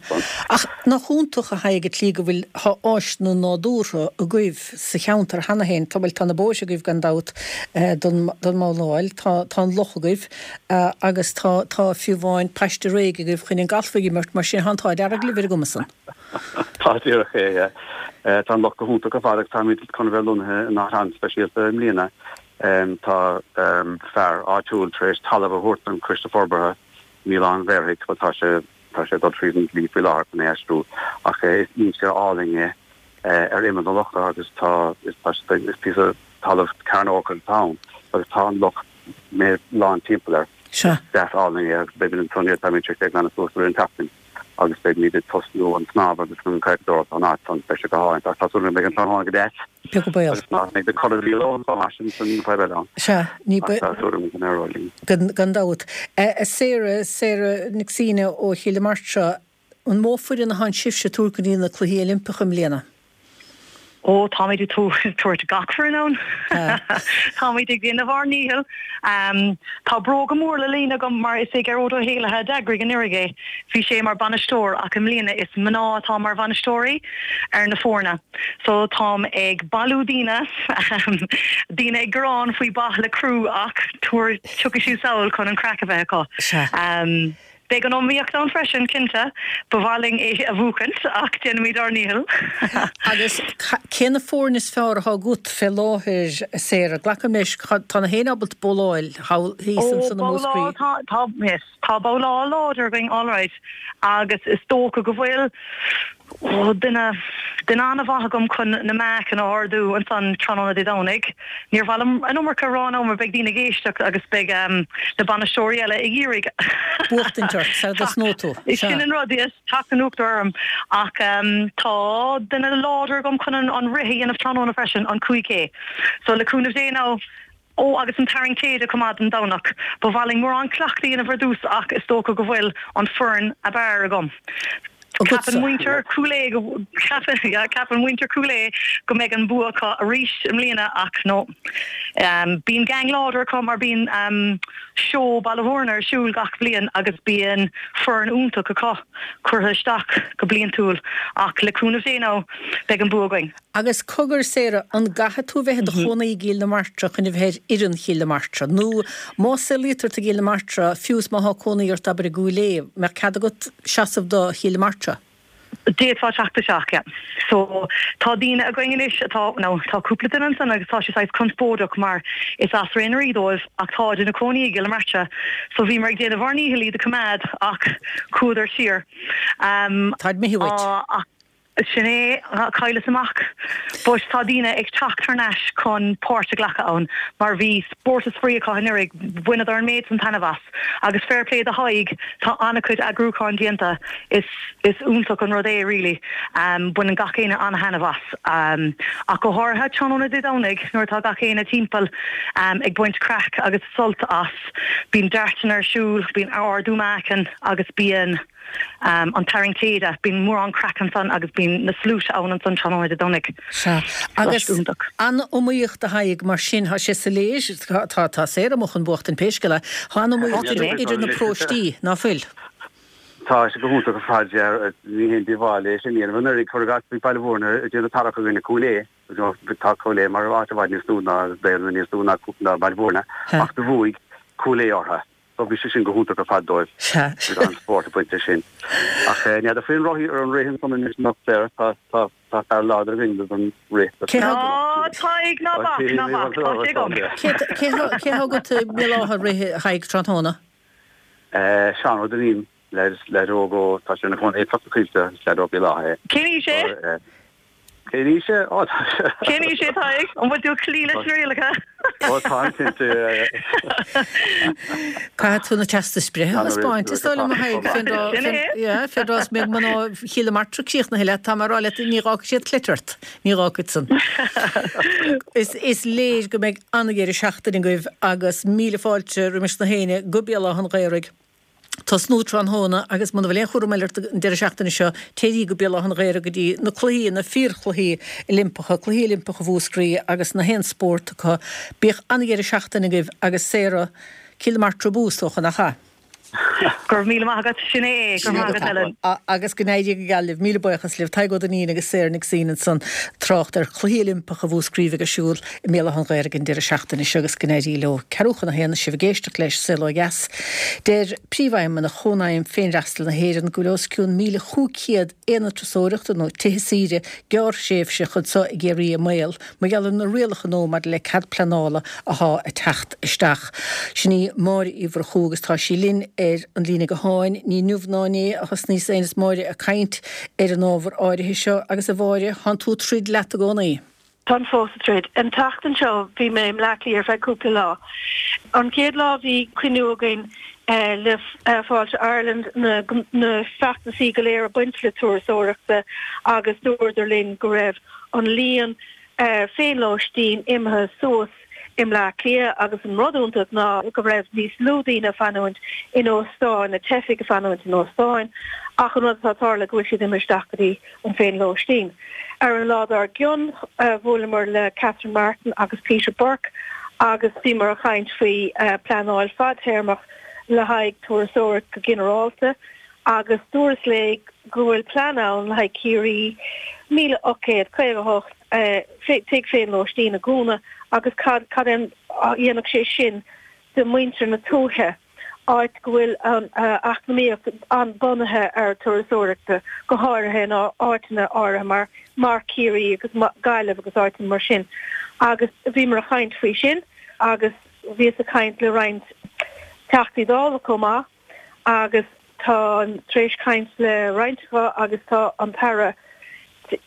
Ach nach iontach a Thaidhg an tslí go bhfuil, thá áiseanna nádúrtha agaibh sa cheantar cheana féin, tá, bhuel tá na bóithre agaibh gan dabht don, don mbabhláil, tá, tá an loch agaibh agus tá, tá fiú amháin paiste réidh agaibh chun an galf a imirt, mar sin thá an t-ádh dearg libh ar an gcuma san. Tá díreach é, yeah. Tá an loch go hiontach ar fad agus táimid chun a bheith lonnaithe in áit an-speisialta i mbliana. Tá fear áitiúil tar éis talamh a thabhairt don Choiste Forbartha in Oileán Bhéarthaigh, bhuel tá sé tá sé ag dul tríd an dlí faoi láthair chun é a aistriú, ach is inse álainn é ar imeall na locha agus tá is tá is píosa talamh cearnógach atá ann agus tá an loch lán timpeall air. Sea. Is deas álainn é agus beimid ansan, táimid tar éis é a ghlanadh suas i rith an tseachtain. agus beimid ag tosnú an snámh agus an chadhacadóireacht ón áit san, beidh sé go hálainn. Ach tá súil agam go mbeidh an tráthnóna go deas. Beag an baol. Agus nach mbeidh na corraíl ann chomh maith sin san fadhb eile ann. Sea, ní Ach tá súil agam go n-éireoidh linn. Gan dabht. Sarah, Sarah Nic Suibhne ó Chill na Martra, an mó foireann atánn sibhse ag tabhairt go dtí na Cluichí Oilimpeacha i mbliana? Ó, táimid ag tabhairt gach foireann ann. Táimid ag déanamh ár ndícheall. Tá bróga mór le líonadh agam mar is é Gearóid Ó hÉallaithe a d'eagraigh anuraidh é. Bhí sé mar bainisteoir ach i mbliana is mná atá mar bhainisteoirí ar na foirne. So táim ag bailiú daoine, daoine ag gearán faoi ba le crú ach tabhair, tiocfaidh siad sall chun an craic a bheith acu. Beidh an iomaíocht ann freisin, cinnte. Ba mhaith linn é a bhuachaint, ach déanfaimid ár ndícheall. Agus cé na foirne is fearr atá agat fé láthair, a Sarah? Glacaim leis, tá na héinne ábalta bowláil thall thíos ansan i Múscraí. Ó, bowláil, tá, yes, tá bowláil láidir againn alright agus is dócha go bhfuil, Ó, duine, duine an-mhaith agam chun na meáchain a ardú ansan tráthnóna Dé Domhnaigh. Níor mhaith liom an iomarca a rá now mar beidh daoine ag éisteacht agus beidh na bainisteoirí eile ag iarraidh Buachtaint ort, sara dtosnóidh tú. Sea. Sin an rud, yes, teacht in uachtar orm. Ach tá duine láidir agam chun an rith a dhéanamh tráthnóna freisin, an 5K. So le cúnamh Dé now, Ó, agus an tarraingt téide chomh maith don Domhnach. Ba mhaith linn mórán cleachtaidh a dhéanamh ar dtús ach is dócha go bhfuil an foireann ab fhearr agam. Ceapann muintir Chúil Aodha go, ceapann, yeah, ceapann muintir Chúil Aodha go mbeidh an bua acu arís i mbliana ach no. Bíonn gang láidir acu mar bíonn seó Baile Bhúirne ar siúl gach bliain agus bíonn foireann iontach acu curtha isteach go bliantúil ach le cúnamh Dé now beidh an bua againn. Agus cogar, Sarah, an gcaithfidh tú bheith i do chónaí i gCill na Martra chun a bheith ar fhoireann Chill na Martra? Nó má saolaítear tú i gCill na Martra, fiú is má thá cónaí ort, abair, i gCúil Aodha, mbeadh cead agat seasamh do Chill na Martra? D'fhéadfá teacht isteach, yeah. So, tá daoine againn anois atá, now, tá cúpla duine ansan agus tá sé saghas conspóideach mar is as Ré na Rí dóibh ach táid ina cónaí i gCill na Martra. So, bhíomar ag déanamh ár ndícheall iad a choimeád ach chuadar siar. Táid imithe uait. Ach. Sin é, chailleas amach. But tá daoine ag teacht thar n-ais chun páirt a ghlacadh ann mar bhí spórt is spraoi acu anuraidh, bhaineadar an méid san taitneamh as. Agus fair play do Thadhg, tá an-chuid eagrúcháin déanta, is is iontach an rud é really. Baineann gach éinne an-thaitneamh as. Ach go háirithe tráthnóna Dé Domhnaigh nuair atá gach éinne timpeall ag baint craic agus sult as. Bíonn dairteanna ar siúl, bíonn ardú meáchain agus bíonn. An tarraingt téide, bíonn mórán craic ansan agus bíonn na sluaite ann ansan tráthnóna Dé Domhnaigh. Sea. Agus an-iomaíocht a Thaidhg, mar sin, tá sé soiléir, tá, tá Sarah amuigh chun buachtaint pé scéal é, tá an-iomaíocht idir, idir na paróistí, ná fuil? Tá sé go hiontach ar fad, yeah. Ní haon díobháil é sin a dhéanamh. Anuraidh, cuir i gcás, bhí Baile Bhúirne ag déanamh tarrac i gcoinne Cúil Aodha. Tá Cúil Aodha mar áit i bhfad níos lú ná daonra níos lú ná Baile Bhúirne, ach do bhuaigh Cúil Aodha orthu. So bhí sé sin go hiontach ar fad dóibh. Sea. Bhí an-spórt ag baint leis sin. Ach n'fheadar faoin rothaí ar an rith ansan anois anocht, Sarah, tá, tá, tá fear láidir againn don rith. Cé thá. Á, Tadhg, ná bac, ná bac, tá sé agam. Cé, cé thá, cé thá agat i mBéal Átha ag rith, a Thaidhg, tráthnóna? Seán Ó Duinnín, leaid óg ó, tá sé ina chónaí i gCloich na Coillte, is leaid ó Bhéal Átha é. Cén aois é? Cén aois é? Ó, tá sé. Cén aois é, Tadhg? An bhfuil tú ag cloí leis na rialacha? Ó, táim cinnte. Caithfidh tú na teastais breithe a thaispeáint, is dóigh liom, a Thaidhg, fén dtráth, Sin é. yeah, fén dtráth is mbeidh mná Chill na Martra críochnaithe leat, tá mé ag rá leat, ní dh'fhágfaidh siad cleite ort. Ní dh'fhágfaidh san. Is, is léir go mbeidh an-dheireadh seachtaine agaibh agus míle fáilte roimis na héinne go Béal Átha an Ghaorthaidh. Tosnú tráthnóna agus muna bhfuil aon chúram eile ort an deireadh seachtaine seo, téirí go Béal Átha an Ghaorthaidh go dtí na cluichí, na fíorchluichí Oilimpeacha, Cluichí Oilimpeacha Mhúscraí agus na haon spórt acu. Bíodh an-dheireadh seachtaine agaibh agus Sarah, Cill na Martra abú, is dócha, nach ea? Go raibh míle maith agat, sin é é, go raibh maith agat Helen. Agus go n-éirí go geal libh. Míle buíochas libh. Tadhg Ó Duinnín agus Sarah Nic Suibhne ansan trácht ar Chluichí Oilimpeacha Mhúscraí a bheidh ar siúl i mBéal Átha an Ghaorthaidh an deireadh seachtaine seo agus go n-éirí leo. Ceathrú chun a haon, sibh ag éisteacht leis Saol Ó Dheas. Deir Príomhfheidhmeannach Chónaidhm Féinfhreastail na hÉireann go bhfuil os cionn 1,500 aonad turasóireachta nó tithe saoire gearrthréimhseach anseo i gCiarraí i mbaol mar gheall ar na rialacha nua maidir le cead pleanála athá ag teacht isteach. Sin í Máire Uí Mhurchú agus tá sí linn ar an líne gutháin. Ní inniu ná inné a thosnaíos féin is Máire ag caint ar an ábhar áirithe seo agus a Mháire, thánn tú ag troid leat i gcónaí. Táim fós ag troid. An tseachtain seo bhí mé i mBleá Cliath ar feadh cúpla lá. An chéad lá bhí cruinniú againn le Fáilte Ireland, na na feachtasaí go léir ag baint le turasóireachta agus dúradar linn go raibh an líon féinlóistín imithe suas i mBleá Cliath agus an rud iontach ná go raibh níos lú daoine ag fanúint in óstáin, na teifigh ag fanúint in óstáin ach an rud atá ag tarlú go bhfuil siad imithe isteach go dtí an féinlóistín. Ar an lá dár gcionn bhuaileamar le Catherine Martin agus Peter Burke agus bhíomar ag caint faoi pleanáil fadtéarmach le haghaidh turasóireacht go ginearálta agus dúras léi go bhfuil plean ann le haghaidh Ciarraí 1,858 tigh féinlóistín a dhúnadh agus cad cad é a dhéanfadh sé sin do mhuintir na tuaithe, áit go bhfuil an eacnamaíocht an-bunaithe ar turasóireachta, go háirithe in áiteanna áirithe mar mar Ciarraí agus Gaillimh agus áiteanna mar sin. Agus bhíomar ag caint faoi sin agus bhíos ag caint le roinnt Teachtaí Dála chomh maith. agus táim tar éis caint le roinnt acu agus tá an tAire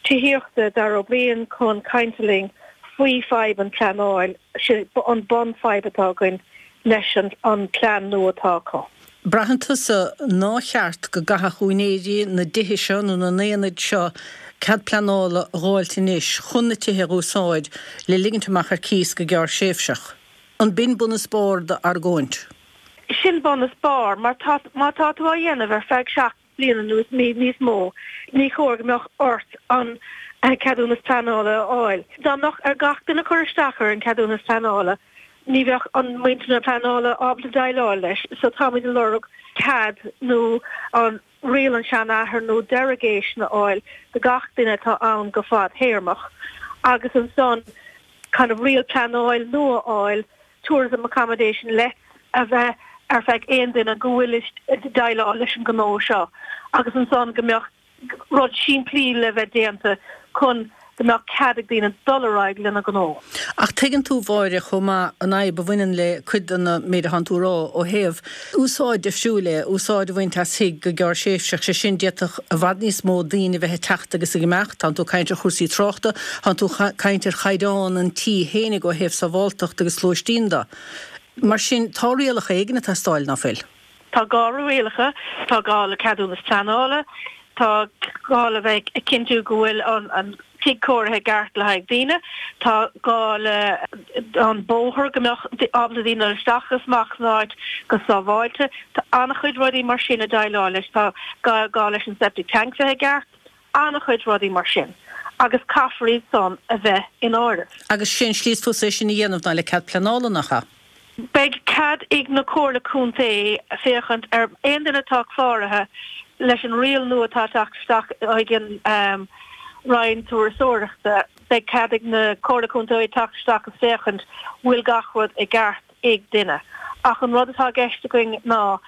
Tithíochta, Darragh O'Brien, chun cainte linn faoi fadhb an pleanáil, sin an bun fadhb atá againn leis an plean nua atá acu. Braitheann tusa nár cheart go gcaithfeadh úinéirí na dtithe seo nó na n-aonad seo cead pleanála a dh'fháilt anois chun na tithe a dh'úsáid le ligint amach ar cíos go gearrthréimhseach. An b'in bun is barr d'argóint? Sin bun is barr, mar tá, má tá tú á dhéanamh ar feadh 7 bliana nó níos mó, ní chóir go mbeadh ort an ceadúnas pleanála a fháil. Dá mbeadh ar gach duine cur isteach ar an ceadúnas pleanála, ní bheadh an muintir na pleanála ábalta déileáil leis. So táimid ag lorg cead nó an riail an seanathar nó derogation a fháil do gach duine atá ann go fadthéarmach agus ansan kind of riail pleanáil nua a fháil tourism accommodation lets a bheith ar feadh aon duine go bhfuil ag déileáil leis an gnó seo agus ansan go mbeadh rud simplí le bheith déanta chun go mbeadh cead ag daoine dul ar aghaidh lena ngnó. Ach tuigeann tú, Mháire, chomh maith an fhadhb a bhaineann le cuid den méid atánn tú a rá ó thaobh úsáid difriúil é úsáid a bhaint as thigh go gearrthréimhseach, sé sin, d'fhéadfadh i bhfad níos mó daoine a bheith ag teacht agus ag imeacht, tánn tú ag caint ar chúrsaí tráchta, tánn tú ag caint ar chaighdeán an tí fhéinig ó thaobh sábháltacht agus lóistín de. Mar sin, tá rialacha éigin ag teastáil, ná fuil? Tá gá le rialacha, tá gá le ceadúnas pleanála, tá gá le bheith ag cinntiú go bhfuil an tigh cóirithe i gceart le haghaidh daoine, tá gá le an bóthar go mbeadh ábalta daoine dul isteach agus amach san áit go sábháilte. Tá an-chuid rudaí mar sin ag déileáil leis. Tá gá leis an septic tank bheith i gceart, an-chuid rudaí mar sin agus caithfear iad san a bheith in áireamh. Agus sé an slí is fusa é sin a dhéanamh ná le cead pleanála, nach ea? Beidh cead ag na Comhairle Contae féachaint ar aon duine atá cláraithe leis an riail nua atá ag teacht isteach ag an Roinn Turasóireachta. Beidh cead ag na Comhairle Contae teacht isteach agus féachaint bhfuil gach rud i gceart ag duine. Ach an rud atá i gceist againn ná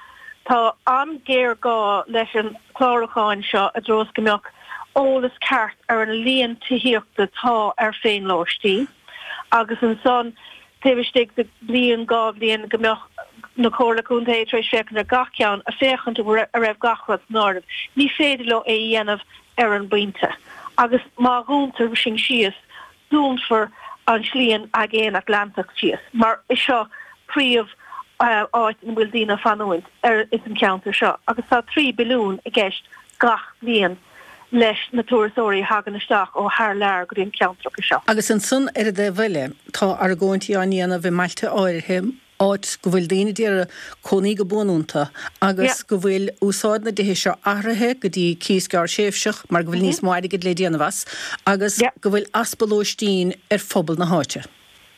tá an-ghéarghá leis an chlárúcháin seo i dtreo is go mbeadh eolas ceart ar an líon tithíochta atá ar féinlóistín agus ansan taobh istigh de bhliain, 2 bhliain go mbeadh. Na Comhairle Contae tar éis féachaint ar gach ceann, a féachaint a raibh gach rud san áireamh. Ní féidir leo é a dhéanamh ar an bpointe. Agus má dhúntar sin síos, dúnfar an Slí an Aigéan Atlantach síos, mar is seo príomh áit ina bhfuil daoine ag fanúint ar ins an cheantar seo. Agus tá 3 billiún i gceist gach bliain leis na turasóirí a thagann isteach ó thar lear go dtí an ceantracha seo. Agus ansan ar an dtaobh eile, tá argóintí á ndéanamh i mbailte áirithe, áit go bhfuil daoine d'iarraidh cónaí go buan iontu agus go bhfuil úsáid na dtithe seo athraithe go dtí cíos gearrthréimhseach mar go bhfuil níos mó airgid le déanamh as agus go bhfuil easpa lóistín ar phobal na háite.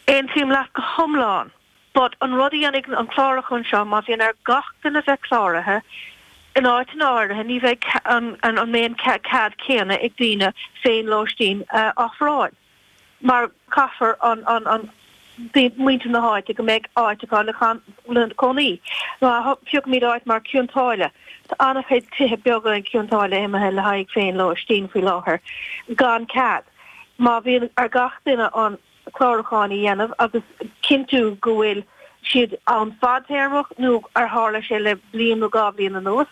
Aontaím leat go hiomlán. But an rud a dhéanfaidh an clárúchán seo, má bhíonn ar gach duine bheith cláraithe, in áiteanna áirithe ní bheidh an an mbeidh an cead céanna ag daoine féin-lóistín a ofráil. Mar caithfear an an an muintir na háite go mbeidh áit acu le le cónaí. Má phiocaimid áit mar Cionn tSáile, tá an-chuid tithe beaga in Cionn tSáile imithe le haghaidh féin-lóistín faoi láthair gan cead. Má bhíonn ar gach duine an clárúcháin a dhéanamh agus cinntiú go bhfuil siad ann fadtéarmach nó ar tharla sé le bliain nó 2 bhliain anuas.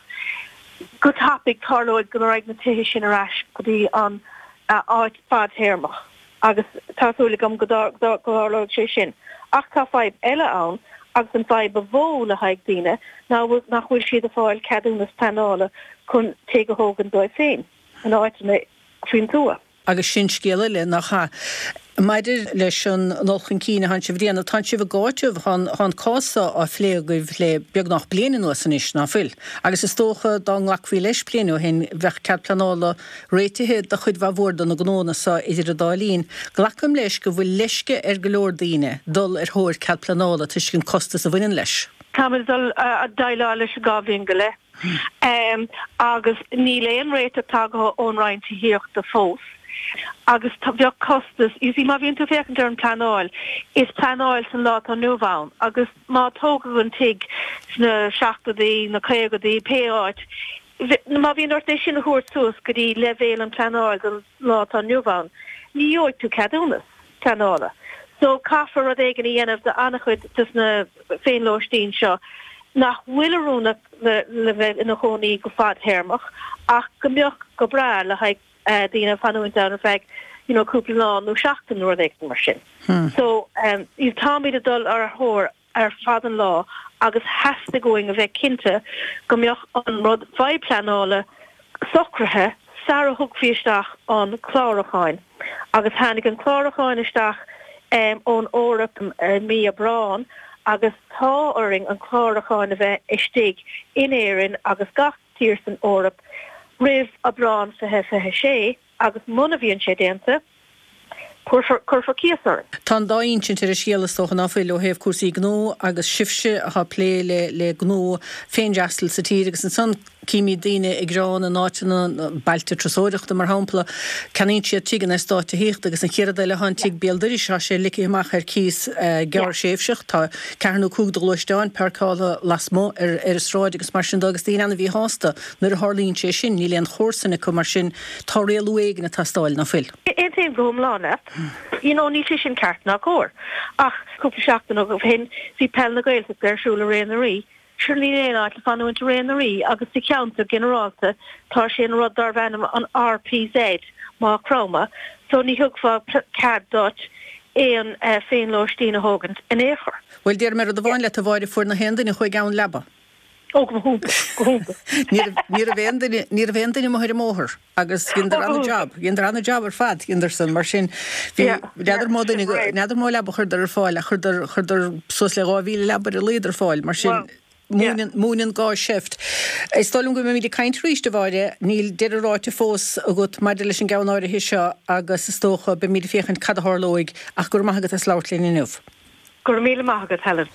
Go tapaidh tarlóidh go raghaidh na tithe sin ar ais go dtí an áit fadtéarmach agus tá súil agam go dtarlóidh sé sin. Ach tá fadhb eile ann agus an fadhb ba mhó le haghaidh daoine ná nach bhfuil siad ag fáil ceadúnas pleanála chun tigh a thógaint dóibh féin in áiteanna faoin tuath. Agus sin scéal eile, nach ea? Maidir leis an ndul chun cinn atánn sibh a dhéanamh, tánn sibh ag áiteamh, tá an cás seo á phlé agaibh le beagnach bliain anuas anois, ná fuil? Agus is dócha dá nglacfaí leis bliain ó shin, bheadh cead pleanála réitithe do chuid mhaith mhór de na gnóanna seo idir an dá linn. Glacaim leis go bhfuil leisce ar go leor daoine dul ar thóir cead pleanála toisc an costas a bhaineann leis. Táimid ag dul a déileáil leis 2 bhliain go leith. Agus níl aon réiteach tagtha ón Roinn Tithíochta fós. Agus bheadh costas, you see má bhíonn tú ag féachaint ar an pleanáil, is pleanáil san lá atá inniu ann agus má tógadh an tigh sna seachtóidí, na caogaidí, pé áit, má bhíonn ort é sin a thabhairt suas go dtí leibhéal an pleanáil don lá atá inniu ann, ní gheobhaidh tú ceadúnas pleanála. So caithfear rud éigin a dhéanamh do an-chuid des na féinlóistín seo nach bhfuil oiriúnach le bheith ina chónaí go fadthéarmach ach go mbeadh go breá le haghaidh daoine fanúint ann ar feadh you know cúpla lá nó seachtain nó rud éigin mar sin. So táimid ag dul ar a thóir ar fad an lá agus theastaigh uainn a bheith cinnte go mbeadh an rud fadhb pleanála socraithe sara thugfaí isteach an clárúcháin agus tháinig an clárúcháin isteach ón Eoraip i mí Aibreán agus tá orainn an clárúcháin a bheith istigh in Éirinn agus gach tír san Eoraip roimh Aibreán 2026 agus muna bhíonn sé déanta cuirfear cuirfear cíos orainn. Tá an dá insint ar an scéal is dócha, ná fuil, ó thaobh cúrsaí gnó agus sibhse atá ag plé le le gnó féinfhreastail sa tír agus ansan címid daoine ag gearán in áiteanna, bailte turasóireachta mar shampla, ceannaíonn siad tigh in eastát tithíochta agus an chéad rud eile tá an tigh béal dorais, tá sé ligthe amach ar cíos gearrthréimhseach, tá ceathair nó cúig de ghluaisteáin páirceáltha lasmuigh ar ar an sráid agus mar sin de agus daoine an-mhíshásta nuair a tharlaíonn sé sin, níl aon chomharsain acu mar sin tá rialú éigin ag teastáil, ná fuil? Aontaím go hiomlán leat. You know, níl sé sin ceart ná cóir. Ach cúpla seachtain ó shin, bhí Peil na Gaeltachta ar siúl i Ré na Rí. Sure níl aon áit le fanúint i Ré na Rí agus sa cheantar ginearálta tá sé an rud darbh ainm an RPZ, Maigh Chromtha, so ní thiocfadh cead duit aon féinlóistín a thógaint in aon chor. Bhuel, déarfaidh mé rud amháin leat, a Mháire, fuair na haon duine a chuaigh ann leaba. Ó, go hiontach, go hiontach. Ní raibh aon duine, ní raibh aon duine amuigh ar an mbóthar agus dheineadar ana-jab, dheineadar ana-jab ar fad, dheineadar san, mar sin, bhí, n'fheadar mó duine, n'fheadar mó leaba a chuireadar ar fáil ach chuireadar, chuireadar suas le 2,000 leaba ar a laghad ar fáil, mar sin, múineann, múineann gá seift. Is dóigh liom go mbeimid ag caint arís, a Mháire, níl deireadh ráite fós agat maidir leis an gceann áirithe seo agus is dócha, beimid ag féachaint cad a tharlóidh ach go raibh maith agat as labhairt linn inniu. Go raibh míle maith agat, Helen.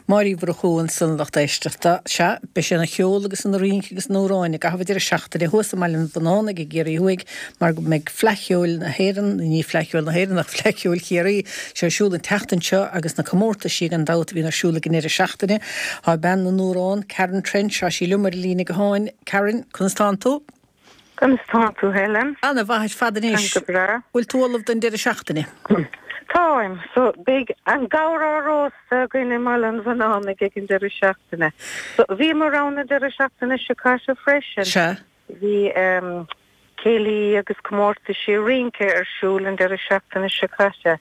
Máire Uí Mhurchú ansan, lucht éisteachta. Sea, beidh sé ina cheol agus ina rince agus ina amhráin i gcaitheamh an deireadh seachtaine thuas i mBaile an Bhunánaigh i gCiarraí Thuaidh mar go mbeidh Fleadh Cheoil na hÉireann, ní Fleadh Cheoil na hÉireann ach Fleadh Cheoil Chiarraí, sé ar siúl an tseachtain seo agus na comórtaisí gan dabht a bhíonn ar siúl ag an deireadh seachtaine. Tá bean na n-amhrán, Karen Trench, tá sí liom ar an líne gutháin. Karen, conas tánn tú? Conas tánn tú, Helen? Ana mhaith ar fad anois. Táim go breá. Bhfuil tú ullamh don deireadh seachtaine? Táim. So, beidh an gabhar á róstadh againn i mBaile an Bhunánaigh ag an deireadh seachtaine. So, bhíomar ann an deireadh seachtaine seo caite freisin. Sea. Bhí céilí agus comórtaisí rince ar siúl an deireadh seachtaine seo caite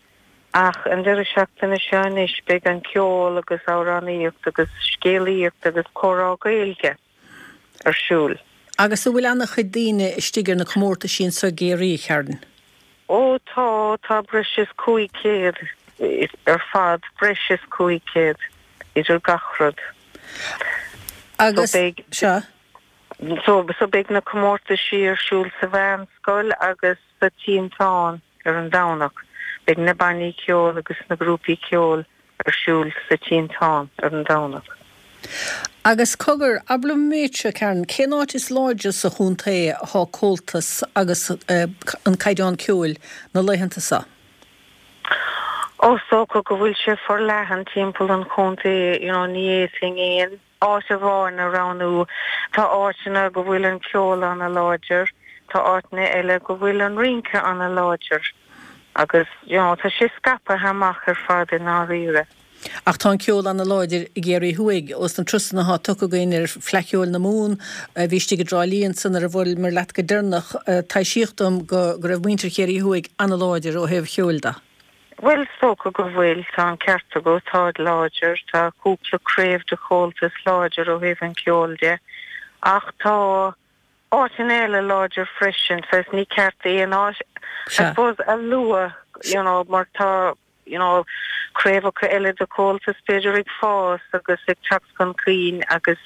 ach an deireadh seachtaine seo anois beidh an ceol agus amhránaíocht agus scéalaíocht agus comhrá Gaeilge ar siúl. Agus an bhfuil ana-chuid daoine istigh ar na comórtaisí anso i gCiarraí, a Karen? Ó tá, tá breis is 500 ar fad, breis is 500 idir gach rud. Agus, So beidh, sea. so, so beidh na comórtaisí ar siúl sa mheánscoil agus sa Tinteán ar an Domhnach. Beidh na bannaí ceoil agus na grúpaí ceoil ar siúl sa Tinteán ar an Domhnach. Agus cogar, abair liom an méid seo, Karen, cén áit is láidre sa chontae athá Comhaltas agus an caighdeán ceoil na laethanta seo? Ó, is dócha go bhfuil sé forleathan timpeall an chontae, you know, ní fhéadfainn aon áit amháin a roghnú. Tá áiteanna go bhfuil an ceol ana-láidir, tá áiteanna eile go bhfuil an rince ana-láidir agus you know tá sé scaipthe amach ar fad i ndáiríre. Ach tá an ceol ana-láidir i gCiarraí Thuaidh. Ós na turasanna athá tugtha againn ar Fleadh Cheoil na Mumhan, a bhí istigh i dTrá Lí ansan nuair a bhuaileamar leat go deireanach, taibhsíodh dom go raibh muintir Chiarraí Thuaidh ana-láidir ó thaobh cheoil de. Bhuel, is dócha go bhfuil, tá an ceart agat, táid láidir, tá cúpla craobh de Chomhaltas láidir ó thaobh an cheoil de, ach tá áiteanna eile láidir freisin, saghas ní ceart aon áit, I suppose, a lua, you know, mar tá, you know, craobhacha eile de Chomhaltas b'fhéidir ag fás agus ag teacht chun cinn agus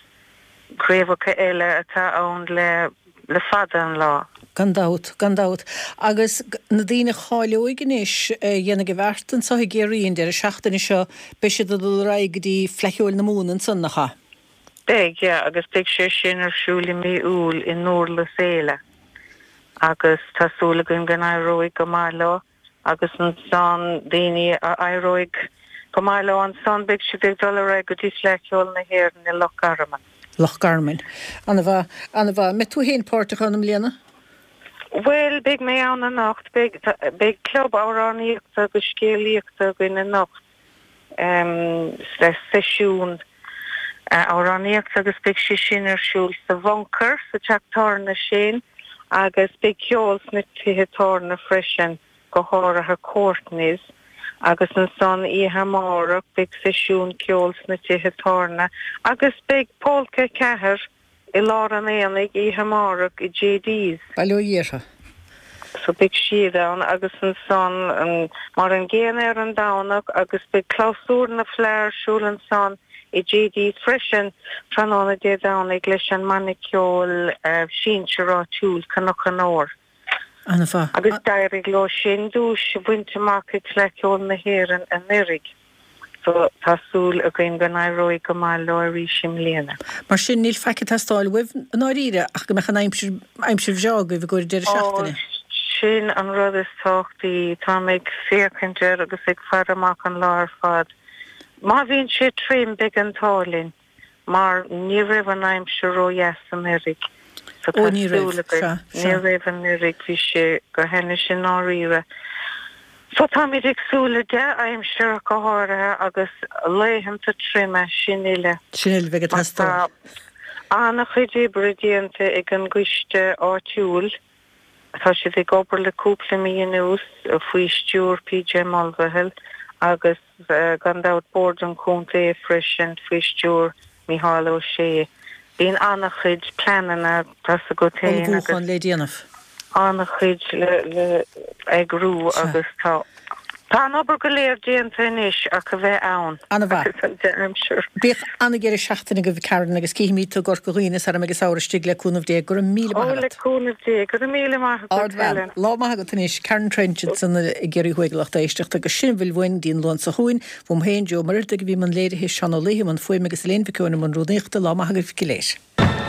craobhacha eile atá ann le le fada an lá. Gan dabht, gan dabht. Agus na daoine a cháileoidh anois, a dhéanfaidh a bhfeart anso i gCiarraí an deireadh seachtaine seo, beidh siad ag dul ar aghaidh go dtí Fleadh Cheoil na Mumhan ansan, nach ea? Beidh, yeah, agus beidh sé sin ar siúl i mí Iúil i nDurlas Éile agus tá súil againn go n-éireoidh go maith leo. Agus ansan, daoine a éireoidh go maith leo ansan, beidh siad ag dul ar aghaidh go dtí Fleadh Cheoil na hÉireann i Loch Garman. Loch Garman. Ana-mhaith, ana-mhaith. An mbeidh tú féin páirteach ann i mbliana? Bhuel, beidh mé ann anocht. Beidh, beidh club amhránaíochta agus scéalaíochta againn anocht. le seisiún amhránaíochta agus beidh sé sin ar siúl sa Bhunker sa teach tábhairne sin agus beidh ceol sna tithe tábhairne freisin, go háirithe Courtney's agus ansan oíche amárach beidh seisiún ceoil sna tithe tábhairne agus beidh Polca 4 I lár an aonaigh oíche amárach i JD's. Bail ó Dhia orthu. So beidh siad ann agus ansan mar an gcéanna ar an Domhnach agus beidh clabhsúr na Fleadh ar siúl ansan i JD's freisin tráthnóna Dé Domhnaigh leis an mbanna ceoil sinsir áitiúil Cnoc an Óir. An-mhaith. Agus d'éirigh leo sin duais a bhaint amach ag Fleadh Cheoil na hÉireann anuraidh so tá súil againn go n-éireoidh go maith leo arís i mbliana. Mar sin, níl faic ag teastáil uaibh i ndáiríre ach go mbeadh an aimsir, aimsir bhreá agaibh i gcomhair an deireadh Ó, seachtaine. sin an rud is tábhachtaí. Táim ag féachaint air agus ag faire amach an lá ar fad. Má bhíonn sé tirim, beidh an t-ádh linn. mar ní raibh an aimsir ró-dheas anuraidh so tá ní raibh, súil againn, sea, ní sea. raibh anuraidh, bhí sé go hainnis i ndáiríre. So táimid ag súil le dea-aimsir ach go háirithe agus laethanta troime, sin uile. Sin uile a bheidh ag Mar tá teastáil. an-chuid oibre déanta ag an gcoiste áitiúil, Tá siad ag obair le cúpla mí anuas faoi stiúir PJ Mulvihill agus gan dabht Bord an Chontae freisin faoi stiúir Mícheál Ó Sé. Bíonn an-chuid pleananna, tá's agat féin, agus. Ullmhúchán le déanamh. An-chuid le eagrú agus tá. Tá an obair go léir déanta anois ach a bheith ann. An-mhaith. Agus an dea-aimsir. Bíodh an-deireadh seachtaine agaibh a Karen agus cífimid tú i gCorca Dhuibhne sara mbeidh an samhradh istigh le cúnamh Dé. Go raibh míle maith Ó, le agat. cúnamh Dé. Go raibh míle maith agat, Ardbhean. Helen. Lá maith agat anois. Karen Trench ansan i gCiarraí Thuaidh a lucht éisteachta agus sin a bhfuil uainn go dtí an Luan seo chugainn. Uaim féin, Joe Ó Muircheartaigh a bhí i mbun léirithe, Seán Ó Laoithe i mbun fuaime agus Elaine Mhic Eoin i mbun rúnaíochta. Lá maith agaibh go léir.